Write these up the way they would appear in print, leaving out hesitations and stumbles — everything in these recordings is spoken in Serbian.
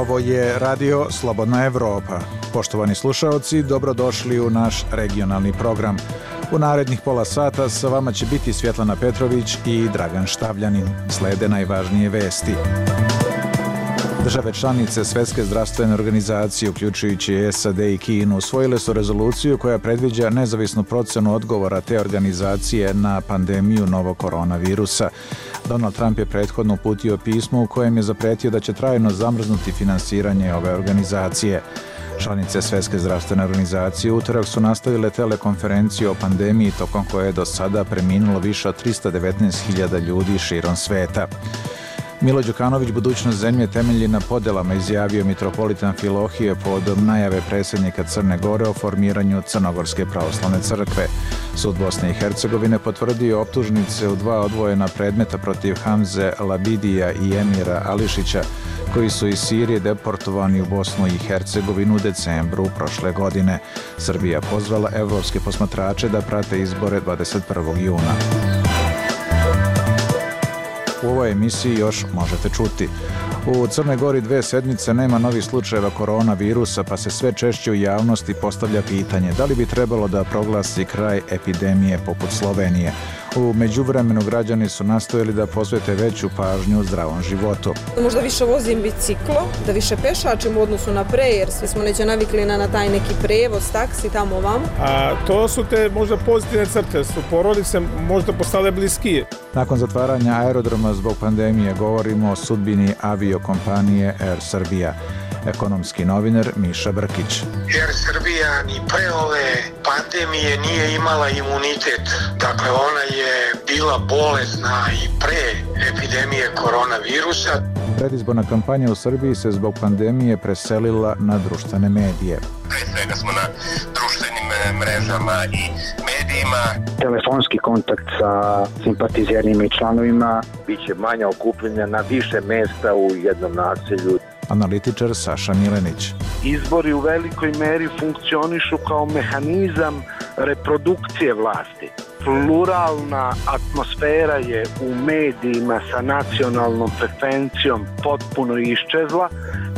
Ovo je Radio Slobodna Evropa. Poštovani slušaoci, dobrodošli u naš regionalni program. U narednih pola sata sa vama će biti Svjetlana Petrović i Dragan Štavljanin. Slede najvažnije vesti. Države članice Svjetske zdravstvene organizacije, uključujući SAD i Kinu, usvojile su rezoluciju koja predviđa nezavisnu procjenu odgovora te organizacije na pandemiju novog koronavirusa. Donald Trump je prethodno uputio pismo u kojem je zapretio da će trajno zamrznuti finansiranje ove organizacije. Članice Svjetske zdravstvene organizacije u utorak su nastavile telekonferenciju o pandemiji tokom koje je do sada preminulo više od 319.000 ljudi širom sveta. Milo Đukanović budućnost zemlje temelji na podelama, izjavio mitropolitan Filohije pod najave predsjednika Crne Gore o formiranju Crnogorske pravoslavne crkve. Sud Bosne i Hercegovine potvrdio optužnice u 2 odvojena predmeta protiv Hamze Labidija i Emira Ališića, koji su iz Sirije deportovani u Bosnu i Hercegovinu u decembru prošle godine. Srbija pozvala evropske posmatrače da prate izbore 21. juna. U ovoj emisiji još možete čuti. U Crnoj Gori 2 sedmice nema novih slučajeva koronavirusa, pa se sve češće u javnosti postavlja pitanje da li bi trebalo da proglasi kraj epidemije poput Slovenije. U međuvremenu građani su nastojali da posvete veću pažnju zdravom životu. Možda više vozim biciklo, da više pešačim u odnosu na pre, jer svi smo neće navikli na taj neki prevoz, taksi, tamo vam. A to su te možda pozitivne crte, su porodice možda postale bliskije. Nakon zatvaranja aerodroma zbog pandemije govorimo o sudbini aviokompanije Air Srbija. Ekonomski novinar Miša Brkić. Air Srbija ni pre ove pandemije nije imala imunitet. Dakle, ona je bila bolesna i pre epidemije koronavirusa. Predizborna kampanja u Srbiji se zbog pandemije preselila na društvene medije. Pre svega smo na društvenim mrežama i medijima. Telefonski kontakt sa simpatizerima i članovima. Biće manja okupljenja na više mesta u jednom naselju. Analitičar Saša Milenić. Izbori u velikoj meri funkcionišu kao mehanizam reprodukcije vlasti. Pluralna atmosfera je u medijima sa nacionalnom frekvencijom potpuno iščezla,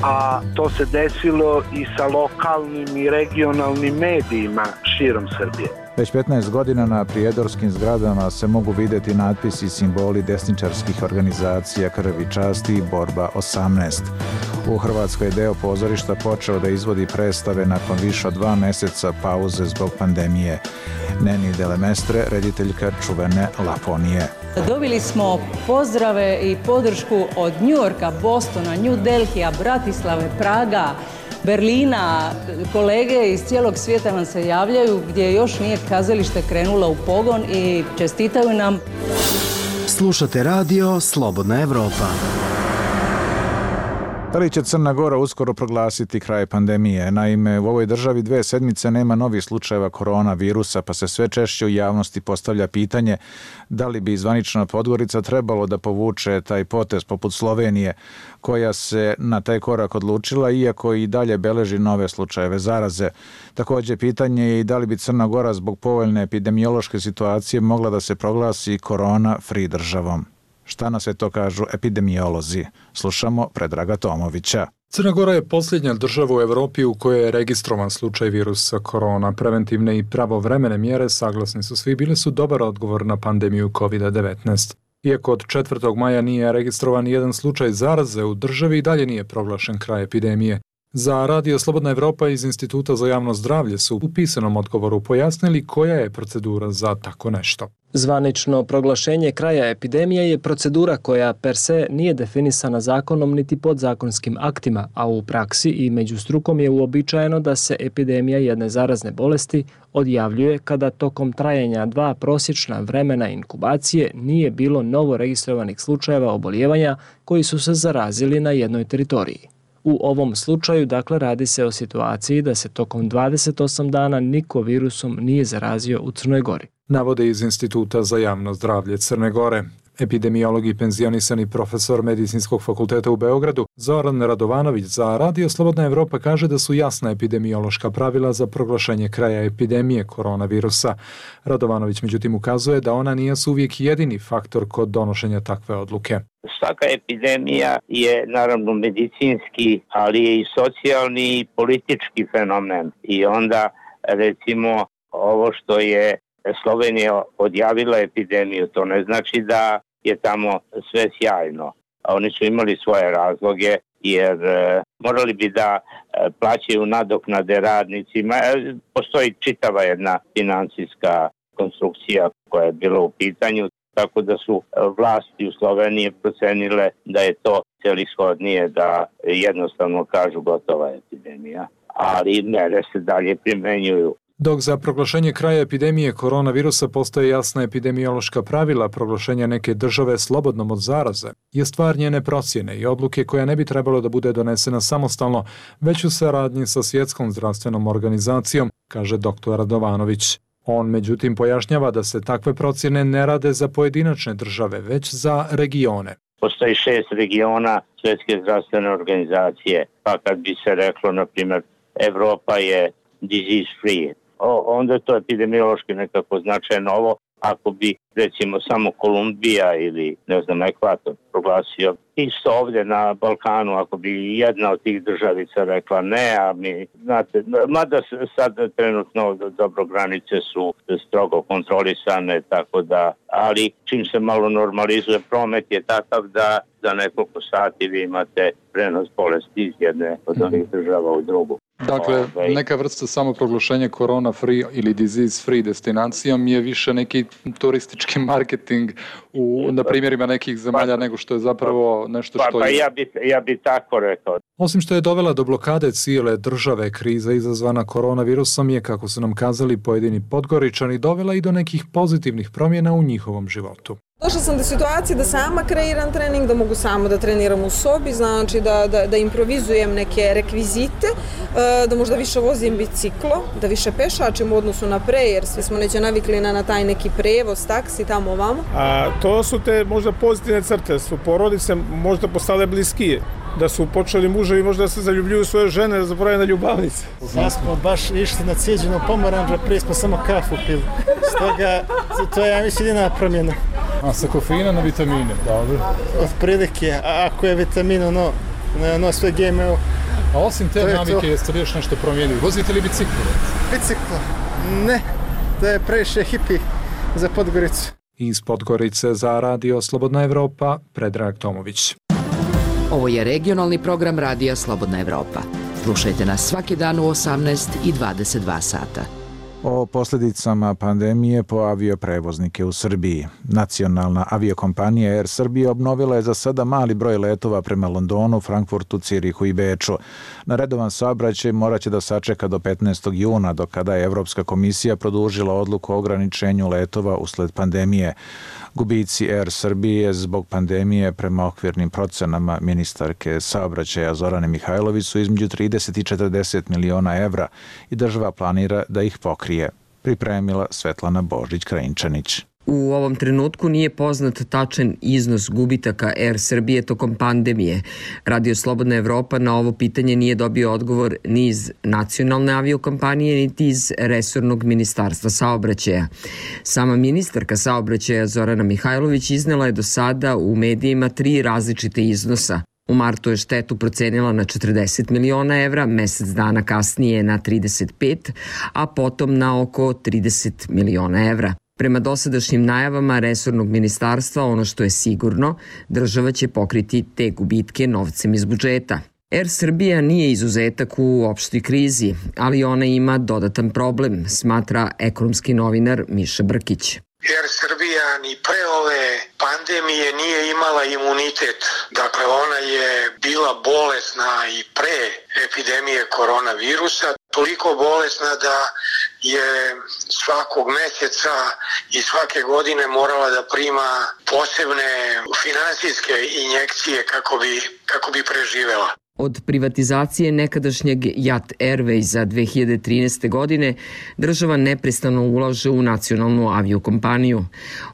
a to se desilo i sa lokalnim i regionalnim medijima širom Srbije. Već 15 godina na prijedorskim zgradama se mogu vidjeti natpisi i simboli desničarskih organizacija Krv i čast i Borba 18. U Hrvatskoj je deo pozorišta počeo da izvodi predstave nakon više od 2 mjeseca pauze zbog pandemije. Neni Delemestre, rediteljka čuvene Laponije. Dobili smo pozdrave i podršku od Njujorka, Bostona, New Delhija, Bratislave, Praga, Berlina. Kolege iz cijelog svijeta nam se javljaju gdje još nije kazalište krenulo u pogon i čestitaju nam. Slušate radio Slobodna Evropa. Da li će Crna Gora uskoro proglasiti kraj pandemije? Naime, u ovoj državi 2 sedmice nema novih slučajeva koronavirusa, pa se sve češće u javnosti postavlja pitanje da li bi zvanična Podgorica trebalo da povuče taj potez poput Slovenije, koja se na taj korak odlučila, iako i dalje beleži nove slučajeve zaraze. Također pitanje je i da li bi Crna Gora zbog povoljne epidemiološke situacije mogla da se proglasi korona-free državom. Šta na sve to kažu epidemiolozi? Slušamo Predraga Tomovića. Crna Gora je posljednja država u Evropi u kojoj je registrovan slučaj virusa korona. Preventivne i pravovremene mjere, saglasni su svi, bile su dobar odgovor na pandemiju COVID-19. Iako od 4. maja nije registrovan jedan slučaj zaraze u državi, i dalje nije proglašen kraj epidemije. Za Radio Slobodna Evropa iz Instituta za javno zdravlje su u pisanom odgovoru pojasnili koja je procedura za tako nešto. Zvanično proglašenje kraja epidemije je procedura koja per se nije definisana zakonom niti podzakonskim aktima, a u praksi i među strukom je uobičajeno da se epidemija jedne zarazne bolesti odjavljuje kada tokom trajanja 2 prosječna vremena inkubacije nije bilo novo registrovanih slučajeva oboljevanja koji su se zarazili na jednoj teritoriji. U ovom slučaju, dakle, radi se o situaciji da se tokom 28 dana niko virusom nije zarazio u Crnoj Gori. Navode iz Instituta za javno zdravlje Crne Gore. Epidemiolog i penzionisani profesor Medicinskog fakulteta u Beogradu Zoran Radovanović za Radio Slobodna Evropa kaže da su jasna epidemiološka pravila za proglašenje kraja epidemije koronavirusa. Radovanović međutim ukazuje da ona nije uvijek jedini faktor kod donošenja takve odluke. Svaka epidemija je naravno medicinski, ali je i socijalni i politički fenomen. I onda recimo ovo što je Slovenija odjavila epidemiju, to ne znači da je tamo sve sjajno. Oni su imali svoje razloge jer morali bi da plaćaju nadoknade radnicima. Postoji čitava jedna financijska konstrukcija koja je bila u pitanju, tako da su vlasti u Sloveniji procenile da je to celishodnije da jednostavno kažu gotova epidemija, ali mere se dalje primenjuju. Dok za proglašenje kraja epidemije koronavirusa postoje jasna epidemiološka pravila proglašenja neke države slobodnom od zaraze, je stvar njene procjene i odluke koja ne bi trebalo da bude donesena samostalno, već u saradnji sa Svjetskom zdravstvenom organizacijom, kaže dr. Radovanović. On međutim pojašnjava da se takve procjene ne rade za pojedinačne države, već za regione. Postoji 6 regiona Svjetske zdravstvene organizacije, pa kad bi se reklo, na primjer, Evropa je disease free, onda je to epidemiološki nekako značajno. Ovo ako bi recimo samo Kolumbija ili ne znam Ekvator proglasio, isto ovdje na Balkanu ako bi jedna od tih državica rekla ne, a mi znate, mada sad trenutno dobro granice su strogo kontrolisane, tako da, ali čim se malo normalizuje promet je takav da za nekoliko sati vi imate prenos bolesti iz jedne od ovih država u drugu. Dakle, neka vrsta samoproglašenja corona free ili disease free destinacijom je više neki turistički marketing na primjerima nekih zemalja nego što je zapravo nešto što je... Ja bi tako rekao. Osim što je dovela do blokade cijele države, kriza izazvana koronavirusom je, kako su nam kazali pojedini Podgoričani, dovela i do nekih pozitivnih promjena u njihovom životu. Došla sam do situacije da sama kreiram trening, da mogu samo da treniram u sobi, znači da improvizujem neke rekvizite, da možda više vozim biciklo, da više pešačim u odnosu na pre, jer svi smo neće navikli na taj neki prevoz, taksi, tamo ovamo. A to su te možda pozitivne crte, su porodice možda postale bliskije, da su počeli muževi možda da se zaljubljuju svoje žene, da zapravo na ljubavnice. Ja smo baš išli na cijeđenu pomoranđa, prije smo samo kafu pili, stoga to je, ja mislim, jedina promjena. A sa kofeina na vitamine, dobro? Od prilike, a ako je vitamin, ono sve GMO. A osim te navike, jeste li još nešto promijenili? Vozite li biciklo? Biciklo? Ne, to je previše hipi za Podgoricu. Iz Podgorice za Radio Slobodna Evropa, Predrag Tomović. Ovo je regionalni program Radija Slobodna Evropa. Slušajte nas svaki dan u 18 i 22 sata. O posljedicama pandemije po avioprevoznike u Srbiji. Nacionalna aviokompanija Air Srbija obnovila je za sada mali broj letova prema Londonu, Frankfurtu, Cirihu i Beču. Na redovan saobraćaj morat će da sačeka do 15. juna, do kada je Evropska komisija produžila odluku o ograničenju letova usled pandemije. Gubici Air Srbije zbog pandemije prema okvirnim procenama ministarke saobraćaja Zorane Mihajlović su između 30 i 40 miliona evra i država planira da ih pokrije. Pripremila Svetlana Božić-Krajinčanić. U ovom trenutku nije poznat tačan iznos gubitaka Air Srbije tokom pandemije. Radio Slobodna Evropa na ovo pitanje nije dobio odgovor ni iz nacionalne aviokompanije, niti iz resornog ministarstva saobraćaja. Sama ministarka saobraćaja Zorana Mihajlović iznela je do sada u medijima 3 različite iznosa. U martu je štetu procenila na 40 miliona evra, mesec dana kasnije na 35, a potom na oko 30 miliona evra. Prema dosadašnjim najavama resornog ministarstva, ono što je sigurno, država će pokriti te gubitke novcem iz budžeta. Air Srbija nije izuzetak u opštoj krizi, ali ona ima dodatan problem, smatra ekonomski novinar Miša Brkić. Air Srbija ni pre ove pandemije nije imala imunitet. Dakle, ona je bila bolesna i pre epidemije koronavirusa. Toliko bolesna da je svakog mjeseca i svake godine morala da prima posebne finansijske injekcije kako bi preživela. Od privatizacije nekadašnjeg JAT Airwaysa 2013. godine država neprestano ulaže u nacionalnu aviokompaniju.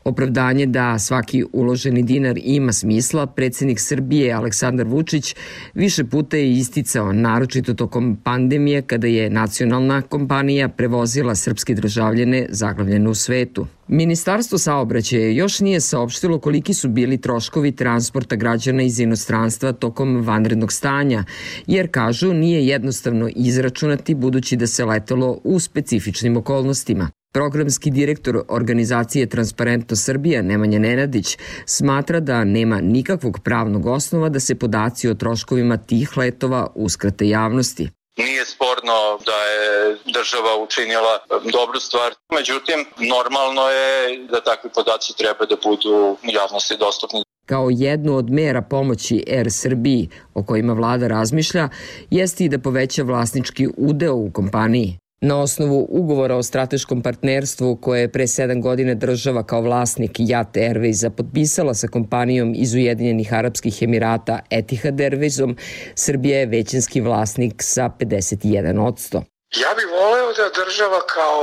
Opravdanje da svaki uloženi dinar ima smisla, predsjednik Srbije Aleksandar Vučić više puta je isticao, naročito tokom pandemije kada je nacionalna kompanija prevozila srpske državljane zaglavljene u svetu. Ministarstvo saobraćaja još nije saopštilo koliki su bili troškovi transporta građana iz inostranstva tokom vanrednog stanja, jer kažu nije jednostavno izračunati budući da se letelo u specifičnim okolnostima. Programski direktor organizacije Transparentno Srbija Nemanja Nenadić smatra da nema nikakvog pravnog osnova da se podaci o troškovima tih letova uskrate javnosti. Nije sporno da je država učinila dobru stvar, međutim, normalno je da takvi podaci treba da budu javnosti dostupni. Kao jednu od mera pomoći Air Srbiji, o kojima vlada razmišlja, jeste i da poveća vlasnički udeo u kompaniji. Na osnovu ugovora o strateškom partnerstvu koje je pre 7 godina država kao vlasnik JAT Airwaysa potpisala sa kompanijom iz Ujedinjenih Arapskih Emirata Etihad Airwaysom, Srbija je većinski vlasnik sa 51%. Ja bih voleo da država kao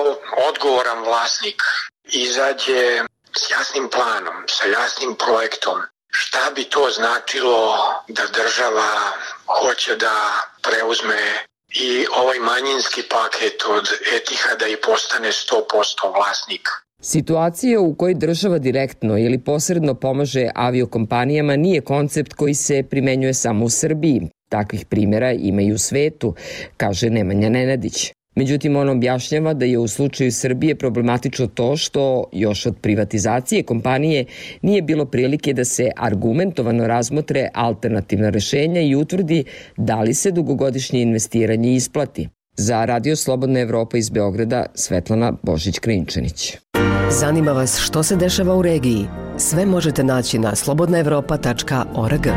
odgovoran vlasnik izađe s jasnim planom, sa jasnim projektom. Šta bi to značilo da država hoće da preuzme i ovaj manjinski paket od Etihada i postane 100% vlasnik. Situacija u kojoj država direktno ili posredno pomaže aviokompanijama nije koncept koji se primenjuje samo u Srbiji. Takvih primjera ima i u svetu, kaže Nemanja Nenadić. Međutim, on objašnjava da je u slučaju Srbije problematično to što još od privatizacije kompanije nije bilo prilike da se argumentovano razmotre alternativna rešenja i utvrdi da li se dugogodišnje investiranje isplati. Za Radio Slobodna Evropa iz Beograda, Svetlana Božić-Krinčanić. Zanima vas što se dešava u regiji? Sve možete naći na slobodnaevropa.org.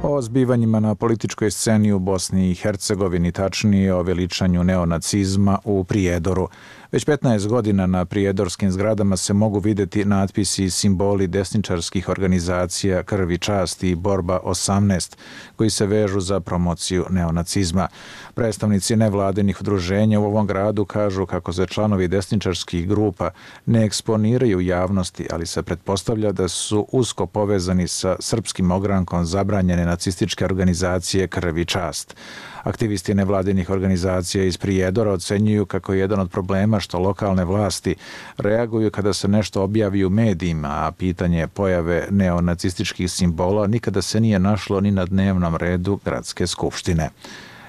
O zbivanjima na političkoj sceni u Bosni i Hercegovini, tačnije o veličanju neonacizma u Prijedoru. Već 15 godina na prijedorskim zgradama se mogu vidjeti natpisi i simboli desničarskih organizacija Krv i čast i Borba 18, koji se vežu za promociju neonacizma. Predstavnici nevladinih udruženja u ovom gradu kažu kako se članovi desničarskih grupa ne eksponiraju u javnosti, ali se pretpostavlja da su usko povezani sa srpskim ogrankom zabranjene nacističke organizacije Krv i čast. Aktivisti nevladinih organizacija iz Prijedora ocenjuju kako je jedan od problema što lokalne vlasti reaguju kada se nešto objavi u medijima, a pitanje pojave neonacističkih simbola nikada se nije našlo ni na dnevnom redu gradske skupštine.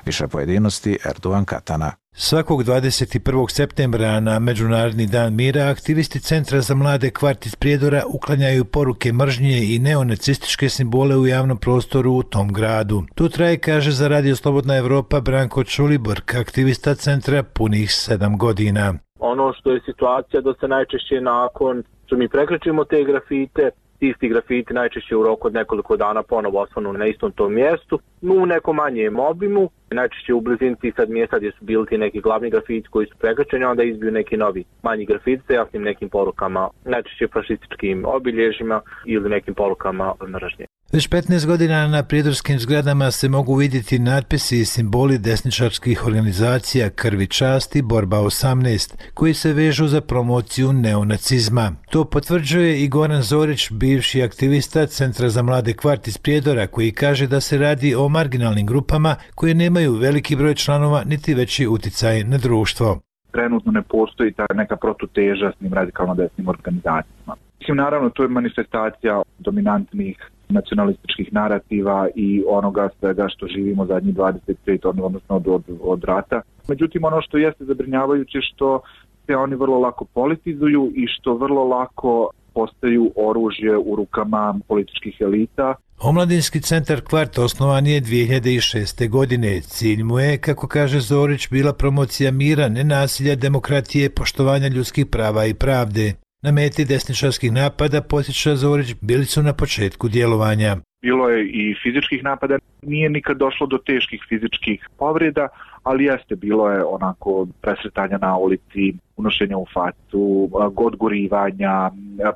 Više pojedinosti Erdogan Katana. Svakog 21. septembra na Međunarodni dan mira aktivisti Centra za mlade Kvart iz Prijedora uklanjaju poruke mržnje i neonacističke simbole u javnom prostoru u tom gradu. Tu traje, kaže za Radio Slobodna Evropa Branko Čuliborg, aktivista centra punih 7 godina. Ono što je situacija da se najčešće nakon što mi prekrećimo te grafite, isti grafiti najčešće u roku od nekoliko dana ponovo osvanu na istom tom mjestu, u nekom manjem obimu, najčešće u blizini tih sad mjesta gdje su bili ti neki glavni grafiti koji su prekrečeni, onda izbiju neki novi manji grafiti sa jasnim nekim porukama, najčešće fašističkim obilježjima ili nekim porukama mržnje. Već 15 godina na prijedorskim zgradama se mogu vidjeti natpisi i simboli desničarskih organizacija Krv i čast i Borba 18, koji se vežu za promociju neonacizma. To potvrđuje i Goran Zorić, bivši aktivista Centra za mlade Kvart iz Prijedora, koji kaže da se radi o marginalnim grupama koje nemaju veliki broj članova niti veći uticaj na društvo. Trenutno ne postoji ta neka protuteža s njim radikalno desnim organizacijama. Mislim, naravno, to je manifestacija dominantnih nacionalističkih narativa i onoga svega što živimo zadnjih 25, odnosno od rata. Međutim, ono što jeste zabrinjavajuće što se oni vrlo lako politizuju i što vrlo lako postaju oružje u rukama političkih elita. Omladinski centar Kvart osnovan je 2006. godine. Cilj mu je, kako kaže Zorić, bila promocija mira, nenasilja, demokratije, poštovanja ljudskih prava i pravde. Na meti desničarskih napada, podsjeća Zorić, bili su na početku djelovanja. Bilo je i fizičkih napada, nije nikad došlo do teških fizičkih povreda, ali jeste, bilo je onako presretanja na ulici, unošenja u facu, odgurivanja,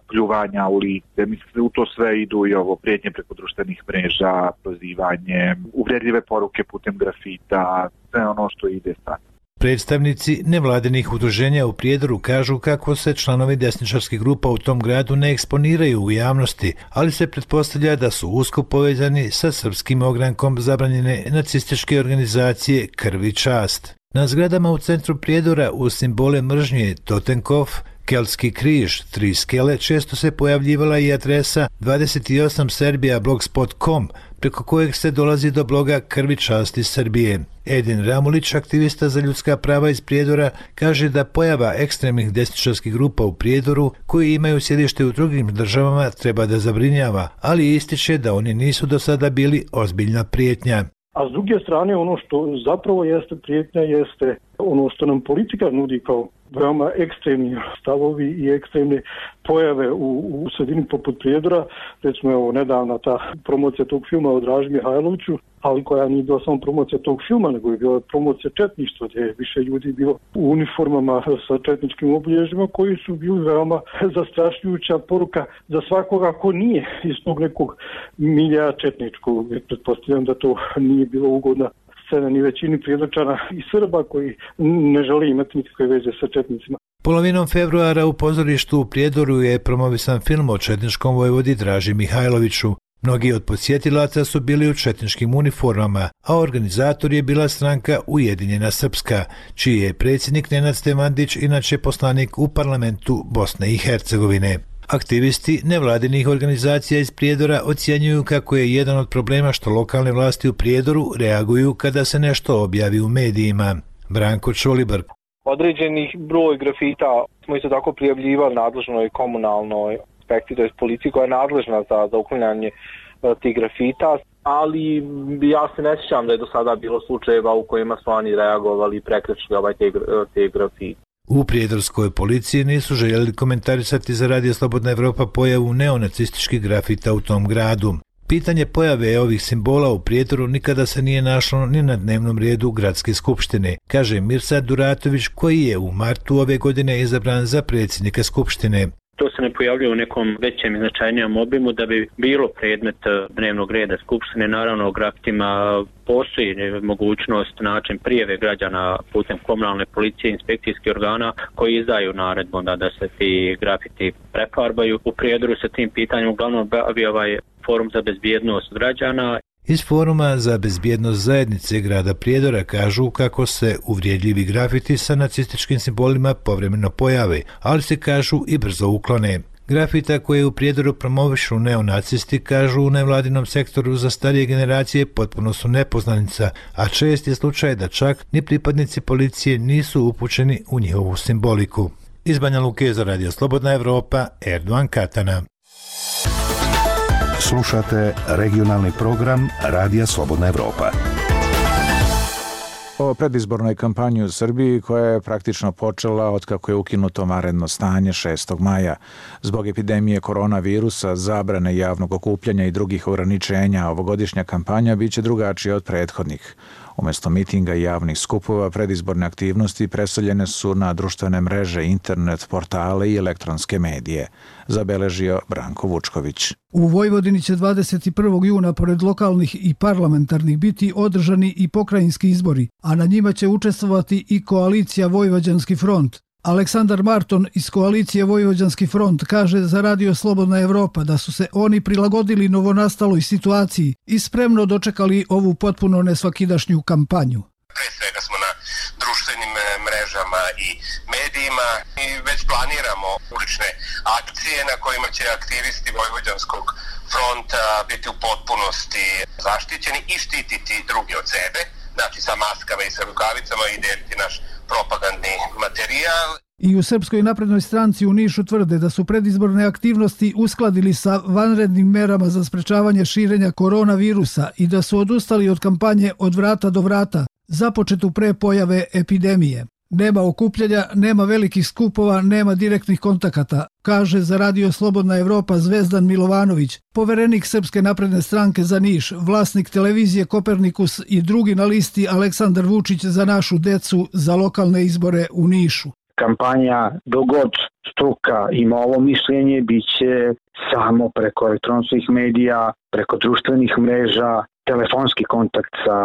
pljuvanja u lice. Mislim, u to sve idu i ovo prijetnje preko društvenih mreža, prozivanje, uvredljive poruke putem grafita, sve ono što ide sad. Predstavnici nevladinih udruženja u Prijedoru kažu kako se članovi desničarskih grupa u tom gradu ne eksponiraju u javnosti, ali se pretpostavlja da su usko povezani sa srpskim ogrankom zabranjene nacističke organizacije Krv i čast. Na zgradama u centru Prijedora u simbole mržnje Totenkopf, Keltski križ, 3 skele, često se pojavljivala i adresa 28serbia.blogspot.com, preko kojeg se dolazi do bloga Krvi časti Srbije. Edin Ramulić, aktivista za ljudska prava iz Prijedora, kaže da pojava ekstremnih desničarskih grupa u Prijedoru, koji imaju sjedište u drugim državama, treba da zabrinjava, ali ističe da oni nisu do sada bili ozbiljna prijetnja. A s druge strane, ono što zapravo jeste prijetnja, jeste ono što nam politika nudi kao veoma ekstremni stavovi i ekstremne pojave u sredini poput Prijedora. Recimo, evo, nedavna ta promocija tog filma o Draži Mihajloviću, ali koja nije bila samo promocija tog filma, nego je bila promocija četništva, gdje je više ljudi bilo u uniformama sa četničkim obilježjima, koji su bili veoma zastrašljujuća poruka za svakoga ko nije iz tog nekog milja četničkog. Pretpostavljam da to nije bilo ugodna scena ni većini Prijedorčana i Srba koji ne žele imati nikakve veze sa četnicima. Polovinom februara u pozorištu u Prijedoru je promovisan film o četničkom vojvodi Draži Mihajloviću. Mnogi od posjetilaca su bili u četničkim uniformama, a organizator je bila stranka Ujedinjena Srpska, čiji je predsjednik Nenad Stevandić inače poslanik u parlamentu Bosne i Hercegovine. Aktivisti nevladinih organizacija iz Prijedora ocjenjuju kako je jedan od problema što lokalne vlasti u Prijedoru reaguju kada se nešto objavi u medijima. Branko Čolibar. Određenih broj grafita smo isto tako prijavljivali nadležnoj komunalnoj inspekciji, to je policiji koja je nadležna za uklanjanje tih grafita, ali ja se ne sjećam da je do sada bilo slučajeva u kojima su oni reagovali i prekršili te grafite. U prijedorskoj policiji nisu željeli komentarisati za Radio Slobodna Evropa pojavu neonacističkih grafita u tom gradu. Pitanje pojave ovih simbola u Prijedoru nikada se nije našlo ni na dnevnom redu Gradske skupštine, kaže Mirsad Duratović, koji je u martu ove godine izabran za predsjednika skupštine. To se ne pojavljuje u nekom većem i značajnijem obimu da bi bilo predmet dnevnog reda Skupštine. Naravno, o grafitima postoji mogućnost, način prijave građana putem komunalne policije i inspekcijskih organa koji izdaju naredbu da se ti grafiti prefarbaju. U Prijedoru se tim pitanjem uglavnom bavi ovaj Forum za bezbjednost građana. Iz Foruma za bezbjednost zajednice grada Prijedora kažu kako se uvrijedljivi grafiti sa nacističkim simbolima povremeno pojave, ali se kažu i brzo uklone. Grafita koje u Prijedoru promovišu neonacisti, kažu u nevladinom sektoru za starije generacije, potpuno su nepoznanica, a čest je slučaj da čak ni pripadnici policije nisu upućeni u njihovu simboliku. Iz Banja Luke za Radio Slobodna Evropa, Erdovan Katana. Slušate regionalni program Radija Slobodna Evropa. O predizbornoj kampanji u Srbiji koja je praktično počela otkako je ukinuto vanredno stanje 6. maja. Zbog epidemije koronavirusa, zabrane javnog okupljanja i drugih ograničenja, ovogodišnja kampanja biće drugačija od prethodnih. Umjesto mitinga i javnih skupova, predizborne aktivnosti preseljene su na društvene mreže, internet, portale i elektronske medije, zabeležio Branko Vučković. U Vojvodini će 21. juna pored lokalnih i parlamentarnih biti održani i pokrajinski izbori, a na njima će učestvovati i koalicija Vojvođanski front. Aleksandar Marton iz koalicije Vojvođanski front kaže za Radio Slobodna Evropa da su se oni prilagodili novonastaloj situaciji i spremno dočekali ovu potpuno nesvakidašnju kampanju. Pre svega smo na društvenim mrežama i medijima i već planiramo ulične akcije na kojima će aktivisti Vojvođanskog fronta biti u potpunosti zaštićeni i štititi drugi od sebe, znači sa maskama i sa rukavicama i deliti naš propagandni materijal. I u Srpskoj naprednoj stranci u Nišu tvrde da su predizborne aktivnosti uskladili sa vanrednim merama za sprečavanje širenja koronavirusa i da su odustali od kampanje od vrata do vrata, započetu pre pojave epidemije. Nema okupljanja, nema velikih skupova, nema direktnih kontakata, kaže za Radio Slobodna Evropa Zvezdan Milovanović, poverenik Srpske napredne stranke za Niš, vlasnik televizije Kopernikus i drugi na listi Aleksandar Vučić za našu decu za lokalne izbore u Nišu. Kampanja dogod struka ima ovo mišljenje biće samo preko elektronskih medija, preko društvenih mreža, telefonski kontakt sa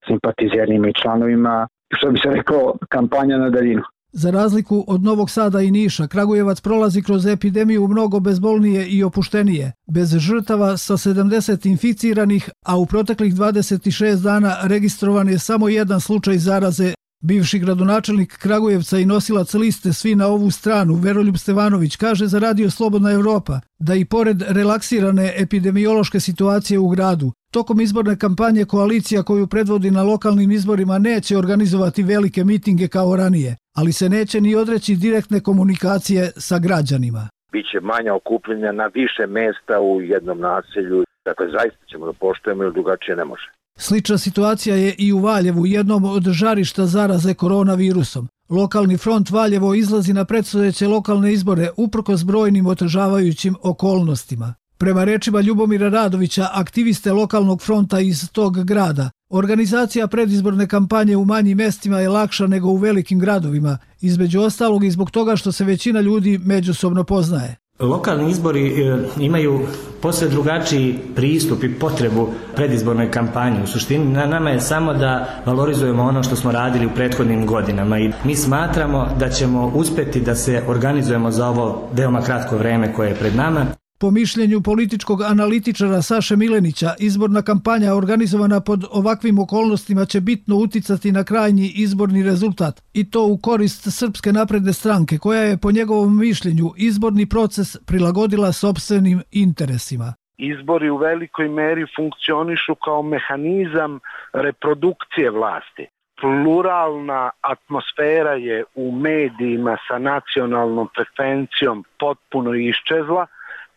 simpatizerima i članovima, što bi se rekao, kampanja na daljinu. Za razliku od Novog Sada i Niša, Kragujevac prolazi kroz epidemiju mnogo bezbolnije i opuštenije, bez žrtava sa 70 inficiranih, a u proteklih 26 dana registrovan je samo jedan slučaj zaraze. Bivši gradonačelnik Kragujevca i nosilac liste Svi na ovu stranu, Veroljub Stevanović, kaže za Radio Slobodna Evropa da i pored relaksirane epidemiološke situacije u gradu, tokom izborne kampanje koalicija koju predvodi na lokalnim izborima neće organizovati velike mitinge kao ranije, ali se neće ni odreći direktne komunikacije sa građanima. Biće manja okupljenja na više mesta u jednom naselju, dakle zaista ćemo da poštujemo jer drugačije ne može. Slična situacija je i u Valjevu, jednom od žarišta zaraze koronavirusom. Lokalni front Valjevo izlazi na predstojeće lokalne izbore uprkos brojnim otežavajućim okolnostima. Prema rečima Ljubomira Radovića, aktiviste lokalnog fronta iz tog grada, organizacija predizborne kampanje u manjim mestima je lakša nego u velikim gradovima, između ostalog i zbog toga što se većina ljudi međusobno poznaje. Lokalni izbori imaju posve drugačiji pristup i potrebu predizbornoj kampanji. U suštini na nama je samo da valorizujemo ono što smo radili u prethodnim godinama i mi smatramo da ćemo uspjeti da se organizujemo za ovo veoma kratko vreme koje je pred nama. Po mišljenju političkog analitičara Saše Milenića, izborna kampanja organizovana pod ovakvim okolnostima će bitno uticati na krajnji izborni rezultat i to u korist Srpske napredne stranke, koja je po njegovom mišljenju izborni proces prilagodila sopstvenim interesima. Izbori u velikoj meri funkcionišu kao mehanizam reprodukcije vlasti. Pluralna atmosfera je u medijima sa nacionalnom frekvencijom potpuno iščezla,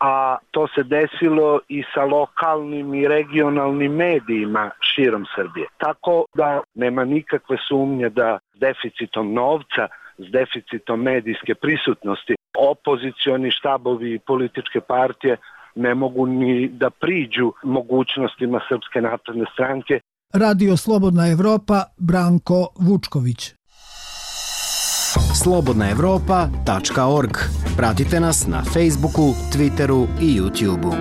a to se desilo i sa lokalnim i regionalnim medijima širom Srbije. Tako da nema nikakve sumnje da s deficitom novca, s deficitom medijske prisutnosti, opozicioni štabovi i političke partije ne mogu ni da priđu mogućnostima Srpske napredne stranke. Radio Slobodna Evropa, Branko Vučković. slobodnaevropa.org. Pratite nas na Facebooku, Twitteru i YouTubeu.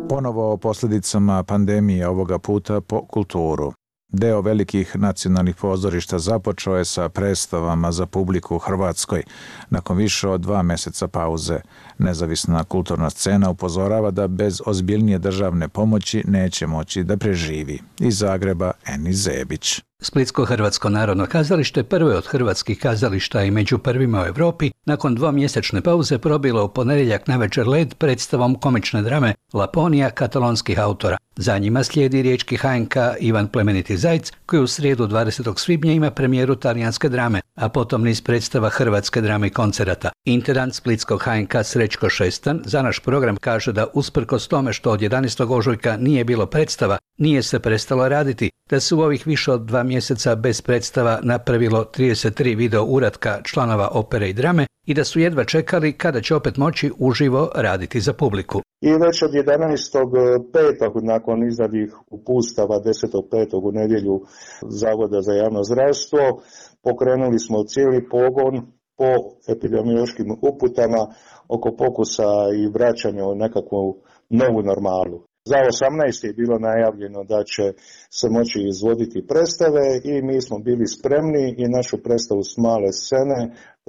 Ponovo o posljedicama pandemije, ovoga puta po kulturu. Deo velikih nacionalnih pozorišta započeo je sa predstavama za publiku u Hrvatskoj. Nakon više od 2 mjeseca pauze, nezavisna kulturna scena upozorava da bez ozbiljnije državne pomoći neće moći da preživi. Iz Zagreba, Eni Zebić. Splitsko-hrvatsko narodno kazalište prvo je od hrvatskih kazališta i među prvima u Europi nakon 2-mjesečne pauze probilo u ponedjeljak navečer led predstavom komične drame Laponija katalonskih autora. Za njima slijedi riječki HNK Ivan Plemeniti Zajc, koji u srijedu 20. svibnja ima premijeru talijanske drame, a potom niz predstava hrvatske drame i koncerata. Intendant splitskog HNK Srećko Šestan za naš program kaže da usprkos tome što od 11. ožujka nije bilo predstava, nije se prestalo raditi, da se u ovih više od 2 mjeseca bez predstava napravilo 33 video uratka članova opere i drame i da su jedva čekali kada će opet moći uživo raditi za publiku. I već od 11.5. nakon izdanih upustava 10.5. u nedjelju Zavoda za javno zdravstvo pokrenuli smo cijeli pogon po epidemiološkim uputama oko pokusa i vraćanja u nekakvu novu normalu. Za 18. je bilo najavljeno da će se moći izvoditi predstave i mi smo bili spremni i našu predstavu s male scene,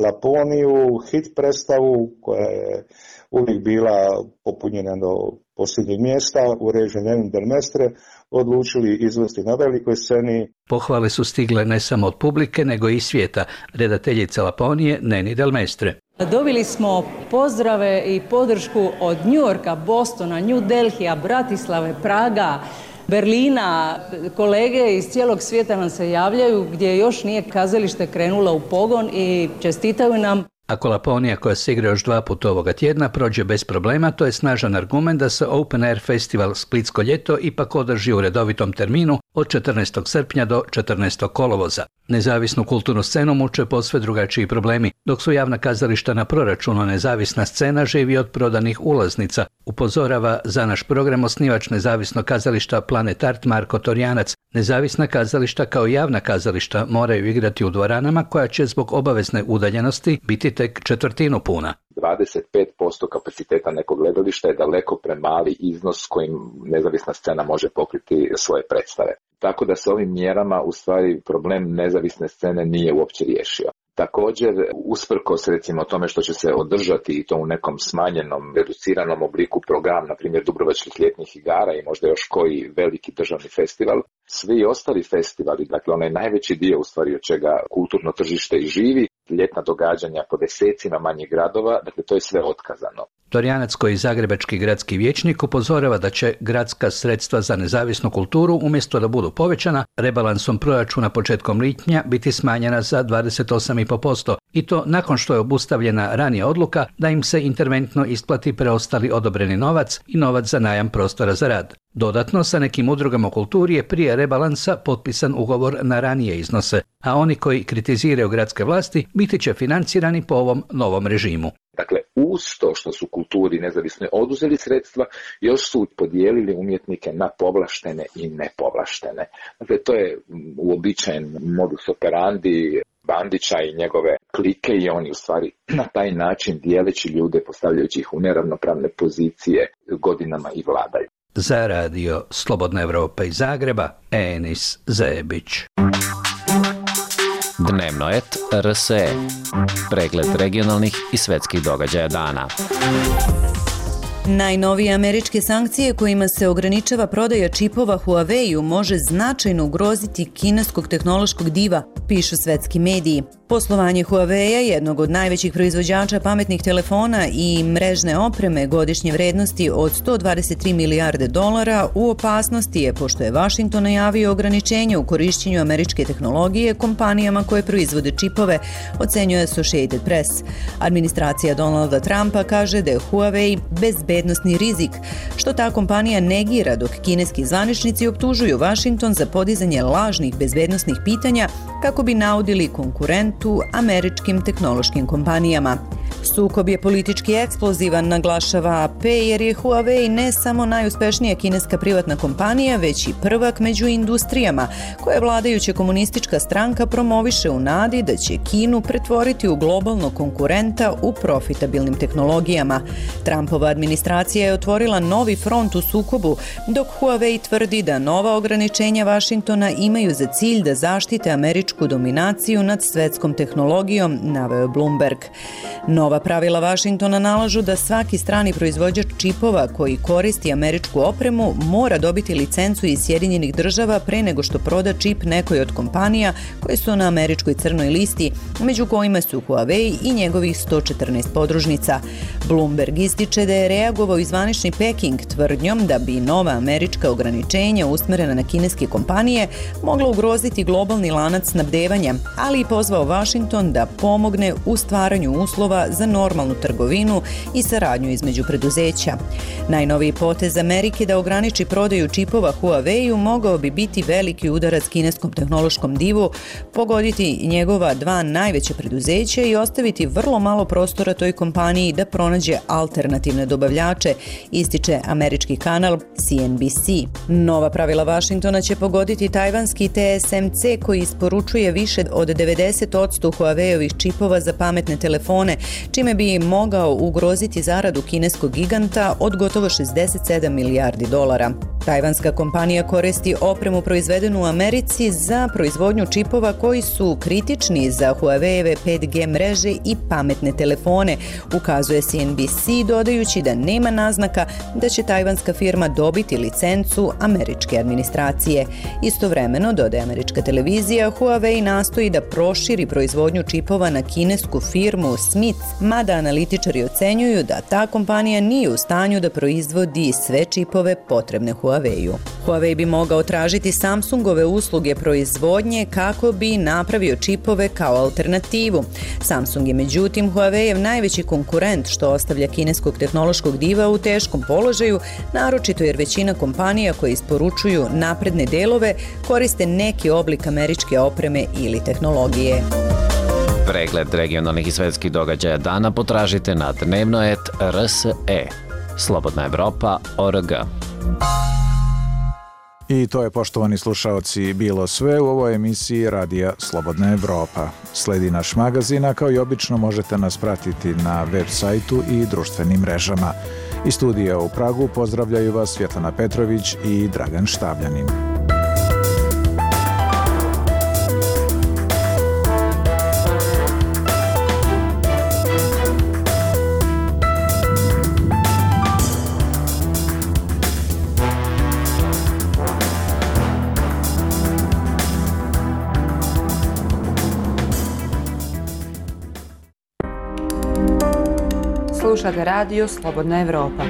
Laponiju, hit predstavu koja je uvijek bila popunjena do posljednjeg mjesta u režiji Neni del Mestre, odlučili izvesti na velikoj sceni. Pohvale su stigle ne samo od publike, nego i svijeta, redateljica Laponije Neni del Mestre. Dobili smo pozdrave i podršku od Njujorka, Bostona, New Delhija, Bratislave, Praga, Berlina. Kolege iz cijelog svijeta nam se javljaju gdje još nije kazalište krenulo u pogon i čestitaju nam. Ako Laponija, koja se igra još 2 puta ovoga tjedna, prođe bez problema, to je snažan argument da se Open Air Festival Splitsko ljeto ipak održi u redovitom terminu od 14. srpnja do 14. kolovoza. Nezavisnu kulturnu scenu muče posve drugačiji problemi, dok su javna kazališta na proračunu, nezavisna scena živi od prodanih ulaznica, upozorava za naš program osnivač nezavisnog kazališta Planet Art Marko Torjanac. Nezavisna kazališta kao javna kazališta moraju igrati u dvoranama koja će zbog obavezne udaljenosti biti tek četvrtinu puna. 25% kapaciteta nekog gledališta je daleko premali iznos kojim nezavisna scena može pokriti svoje predstave. Tako da se ovim mjerama u stvari problem nezavisne scene nije uopće riješio. Također, usprkos recimo tome što će se održati i to u nekom smanjenom, reduciranom obliku program, na primjer Dubrovačkih ljetnih igara i možda još koji veliki državni festival, svi ostali festivali, dakle onaj najveći dio u stvari od čega kulturno tržište i živi, ljetna događanja po desecima manjih gradova, dakle to je sve otkazano. Torjanac, koji zagrebački gradski vijećnik, upozorava da će gradska sredstva za nezavisnu kulturu, umjesto da budu povećana, rebalansom proračuna početkom lipnja biti smanjena za 28,5%, i to nakon što je obustavljena ranija odluka da im se interventno isplati preostali odobreni novac i novac za najam prostora za rad. Dodatno, sa nekim udrugama u kulturi je prije rebalansa potpisan ugovor na ranije iznose, a oni koji kritiziraju gradske vlasti biti će financirani po ovom novom režimu. Dakle, uz to što su kulturi nezavisno oduzeli sredstva, još su podijelili umjetnike na povlaštene i nepovlaštene. Dakle, to je uobičajen modus operandi Bandića i njegove klike i oni u stvari na taj način dijeleći ljude, postavljajući ih u neravnopravne pozicije, godinama i vladaju. Za radio Slobodna Evropa iz Zagreba, Enis Zebić. Dnevno et RSE. Pregled regionalnih i svetskih događaja dana. Najnovije američke sankcije kojima se ograničava prodaja čipova Huawei-u može značajno ugroziti kineskog tehnološkog diva, pišu svetski mediji. Poslovanje Huawei-a, jednog od najvećih proizvođača pametnih telefona i mrežne opreme godišnje vrednosti od $123 milijarde, u opasnosti je pošto je Washington najavio ograničenje u korišćenju američke tehnologije kompanijama koje proizvode čipove, ocenjuje Associated Press. Administracija Donalda Trumpa kaže da je Huawei bezbednosni rizik, što ta kompanija negira, dok kineski zvaničnici optužuju Washington za podizanje lažnih bezbednosnih pitanja kako bi naudili konkurentu američkim tehnološkim kompanijama. Sukob je politički eksplozivan, naglašava AP, jer je Huawei ne samo najuspešnija kineska privatna kompanija, već i prvak među industrijama koje vladajuća komunistička stranka promoviše u nadi da će Kinu pretvoriti u globalnog konkurenta u profitabilnim tehnologijama. Trumpova administracija je otvorila novi front u sukobu, dok Huawei tvrdi da nova ograničenja Washingtona imaju za cilj da zaštite američku dominaciju nad svetskom tehnologijom, naveo Bloomberg. Nova pravila Washingtona nalažu da svaki strani proizvođač čipova koji koristi američku opremu mora dobiti licencu iz Sjedinjenih država pre nego što proda čip nekoj od kompanija koje su na američkoj crnoj listi, među kojima su Huawei i njegovih 114 podružnica. Bloomberg ističe da je reagovao i zvanični Peking tvrdnjom da bi nova američka ograničenja usmerena na kineske kompanije mogla ugroziti globalni lanac snabdevanja, ali i pozvao Washington da pomogne u stvaranju uslova za normalnu trgovinu i saradnju između preduzeća. Najnoviji potez Amerike da ograniči prodaju čipova Huawei-u mogao bi biti veliki udarac kineskom tehnološkom divu, pogoditi njegova dva najveća preduzeća i ostaviti vrlo malo prostora toj kompaniji da pronađe alternativne dobavljače, ističe američki kanal CNBC. Nova pravila Washingtona će pogoditi tajvanski TSMC koji isporučuje više od 90% Huawei-ovih čipova za pametne telefone, čime bi mogao ugroziti zaradu kineskog giganta od gotovo $67 milijardi. Tajvanska kompanija koristi opremu proizvedenu u Americi za proizvodnju čipova koji su kritični za Huawei-eve 5G mreže i pametne telefone, ukazuje CNBC, dodajući da nema naznaka da će tajvanska firma dobiti licencu američke administracije. Istovremeno, dodaje američka televizija, Huawei nastoji da proširi proizvodnju čipova na kinesku firmu Smith, mada analitičari ocenjuju da ta kompanija nije u stanju da proizvodi sve čipove potrebne Huawei. Huawei-u. Huawei bi mogao tražiti Samsungove usluge proizvodnje kako bi napravio čipove kao alternativu. Samsung je međutim Huawei-ev najveći konkurent, što ostavlja kineskog tehnološkog diva u teškom položaju, naročito jer većina kompanija koje isporučuju napredne delove koriste neki oblik američke opreme ili tehnologije. Pregled regionalnih i svetskih događaja dana potražite na dnevno.rs.e. Slobodna Evropa.org. I to je, poštovani slušaoci, bilo sve u ovoj emisiji Radija Slobodna Evropa. Sledi naš magazin, a kao i obično možete nas pratiti na web sajtu i društvenim mrežama. Iz studija u Pragu pozdravljaju vas Svjetlana Petrović i Dragan Štavljanin. Slušate radio Slobodna Evropa.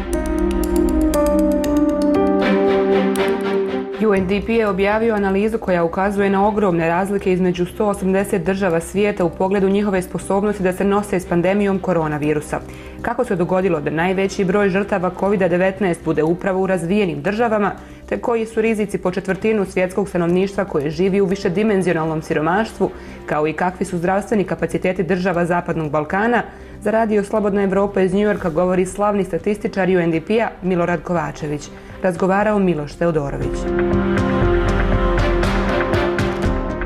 UNDP je objavio analizu koja ukazuje na ogromne razlike između 180 država svijeta u pogledu njihove sposobnosti da se nose s pandemijom koronavirusa. Kako se dogodilo da najveći broj žrtava COVID-19 bude upravo u razvijenim državama, te koji su rizici po četvrtinu svjetskog stanovništva koje živi u višedimenzionalnom siromaštvu, kao i kakvi su zdravstveni kapaciteti država Zapadnog Balkana, za radio Slobodna Evropa iz Njujorka govori slavni statističar UNDP-a Milorad Kovačević. Razgovarao Miloš Teodorović.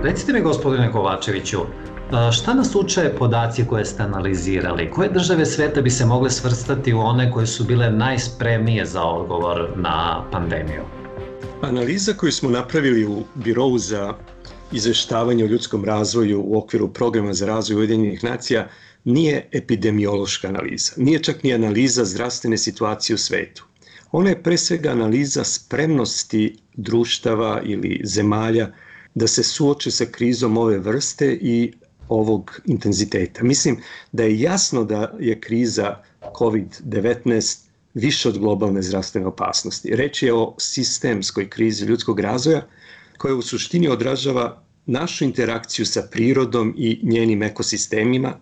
Recite mi, gospodine Kovačeviću, šta nas uče podaci koje ste analizirali? Koje države sveta bi se mogle svrstati u one koje su bile najspremnije za odgovor na pandemiju? Analiza koju smo napravili u Birovu za izveštavanje o ljudskom razvoju u okviru Programa za razvoj Ujedinjenih nacija nije epidemiološka analiza, nije čak ni analiza zdravstvene situacije u svetu. Ona je pre svega analiza spremnosti društava ili zemalja da se suoče sa krizom ove vrste i ovog intenziteta. Mislim da je jasno da je kriza COVID-19 više od globalne zdravstvene opasnosti. Reč je o sistemskoj krizi ljudskog razvoja koja u suštini odražava našu interakciju sa prirodom i njenim ekosistemima,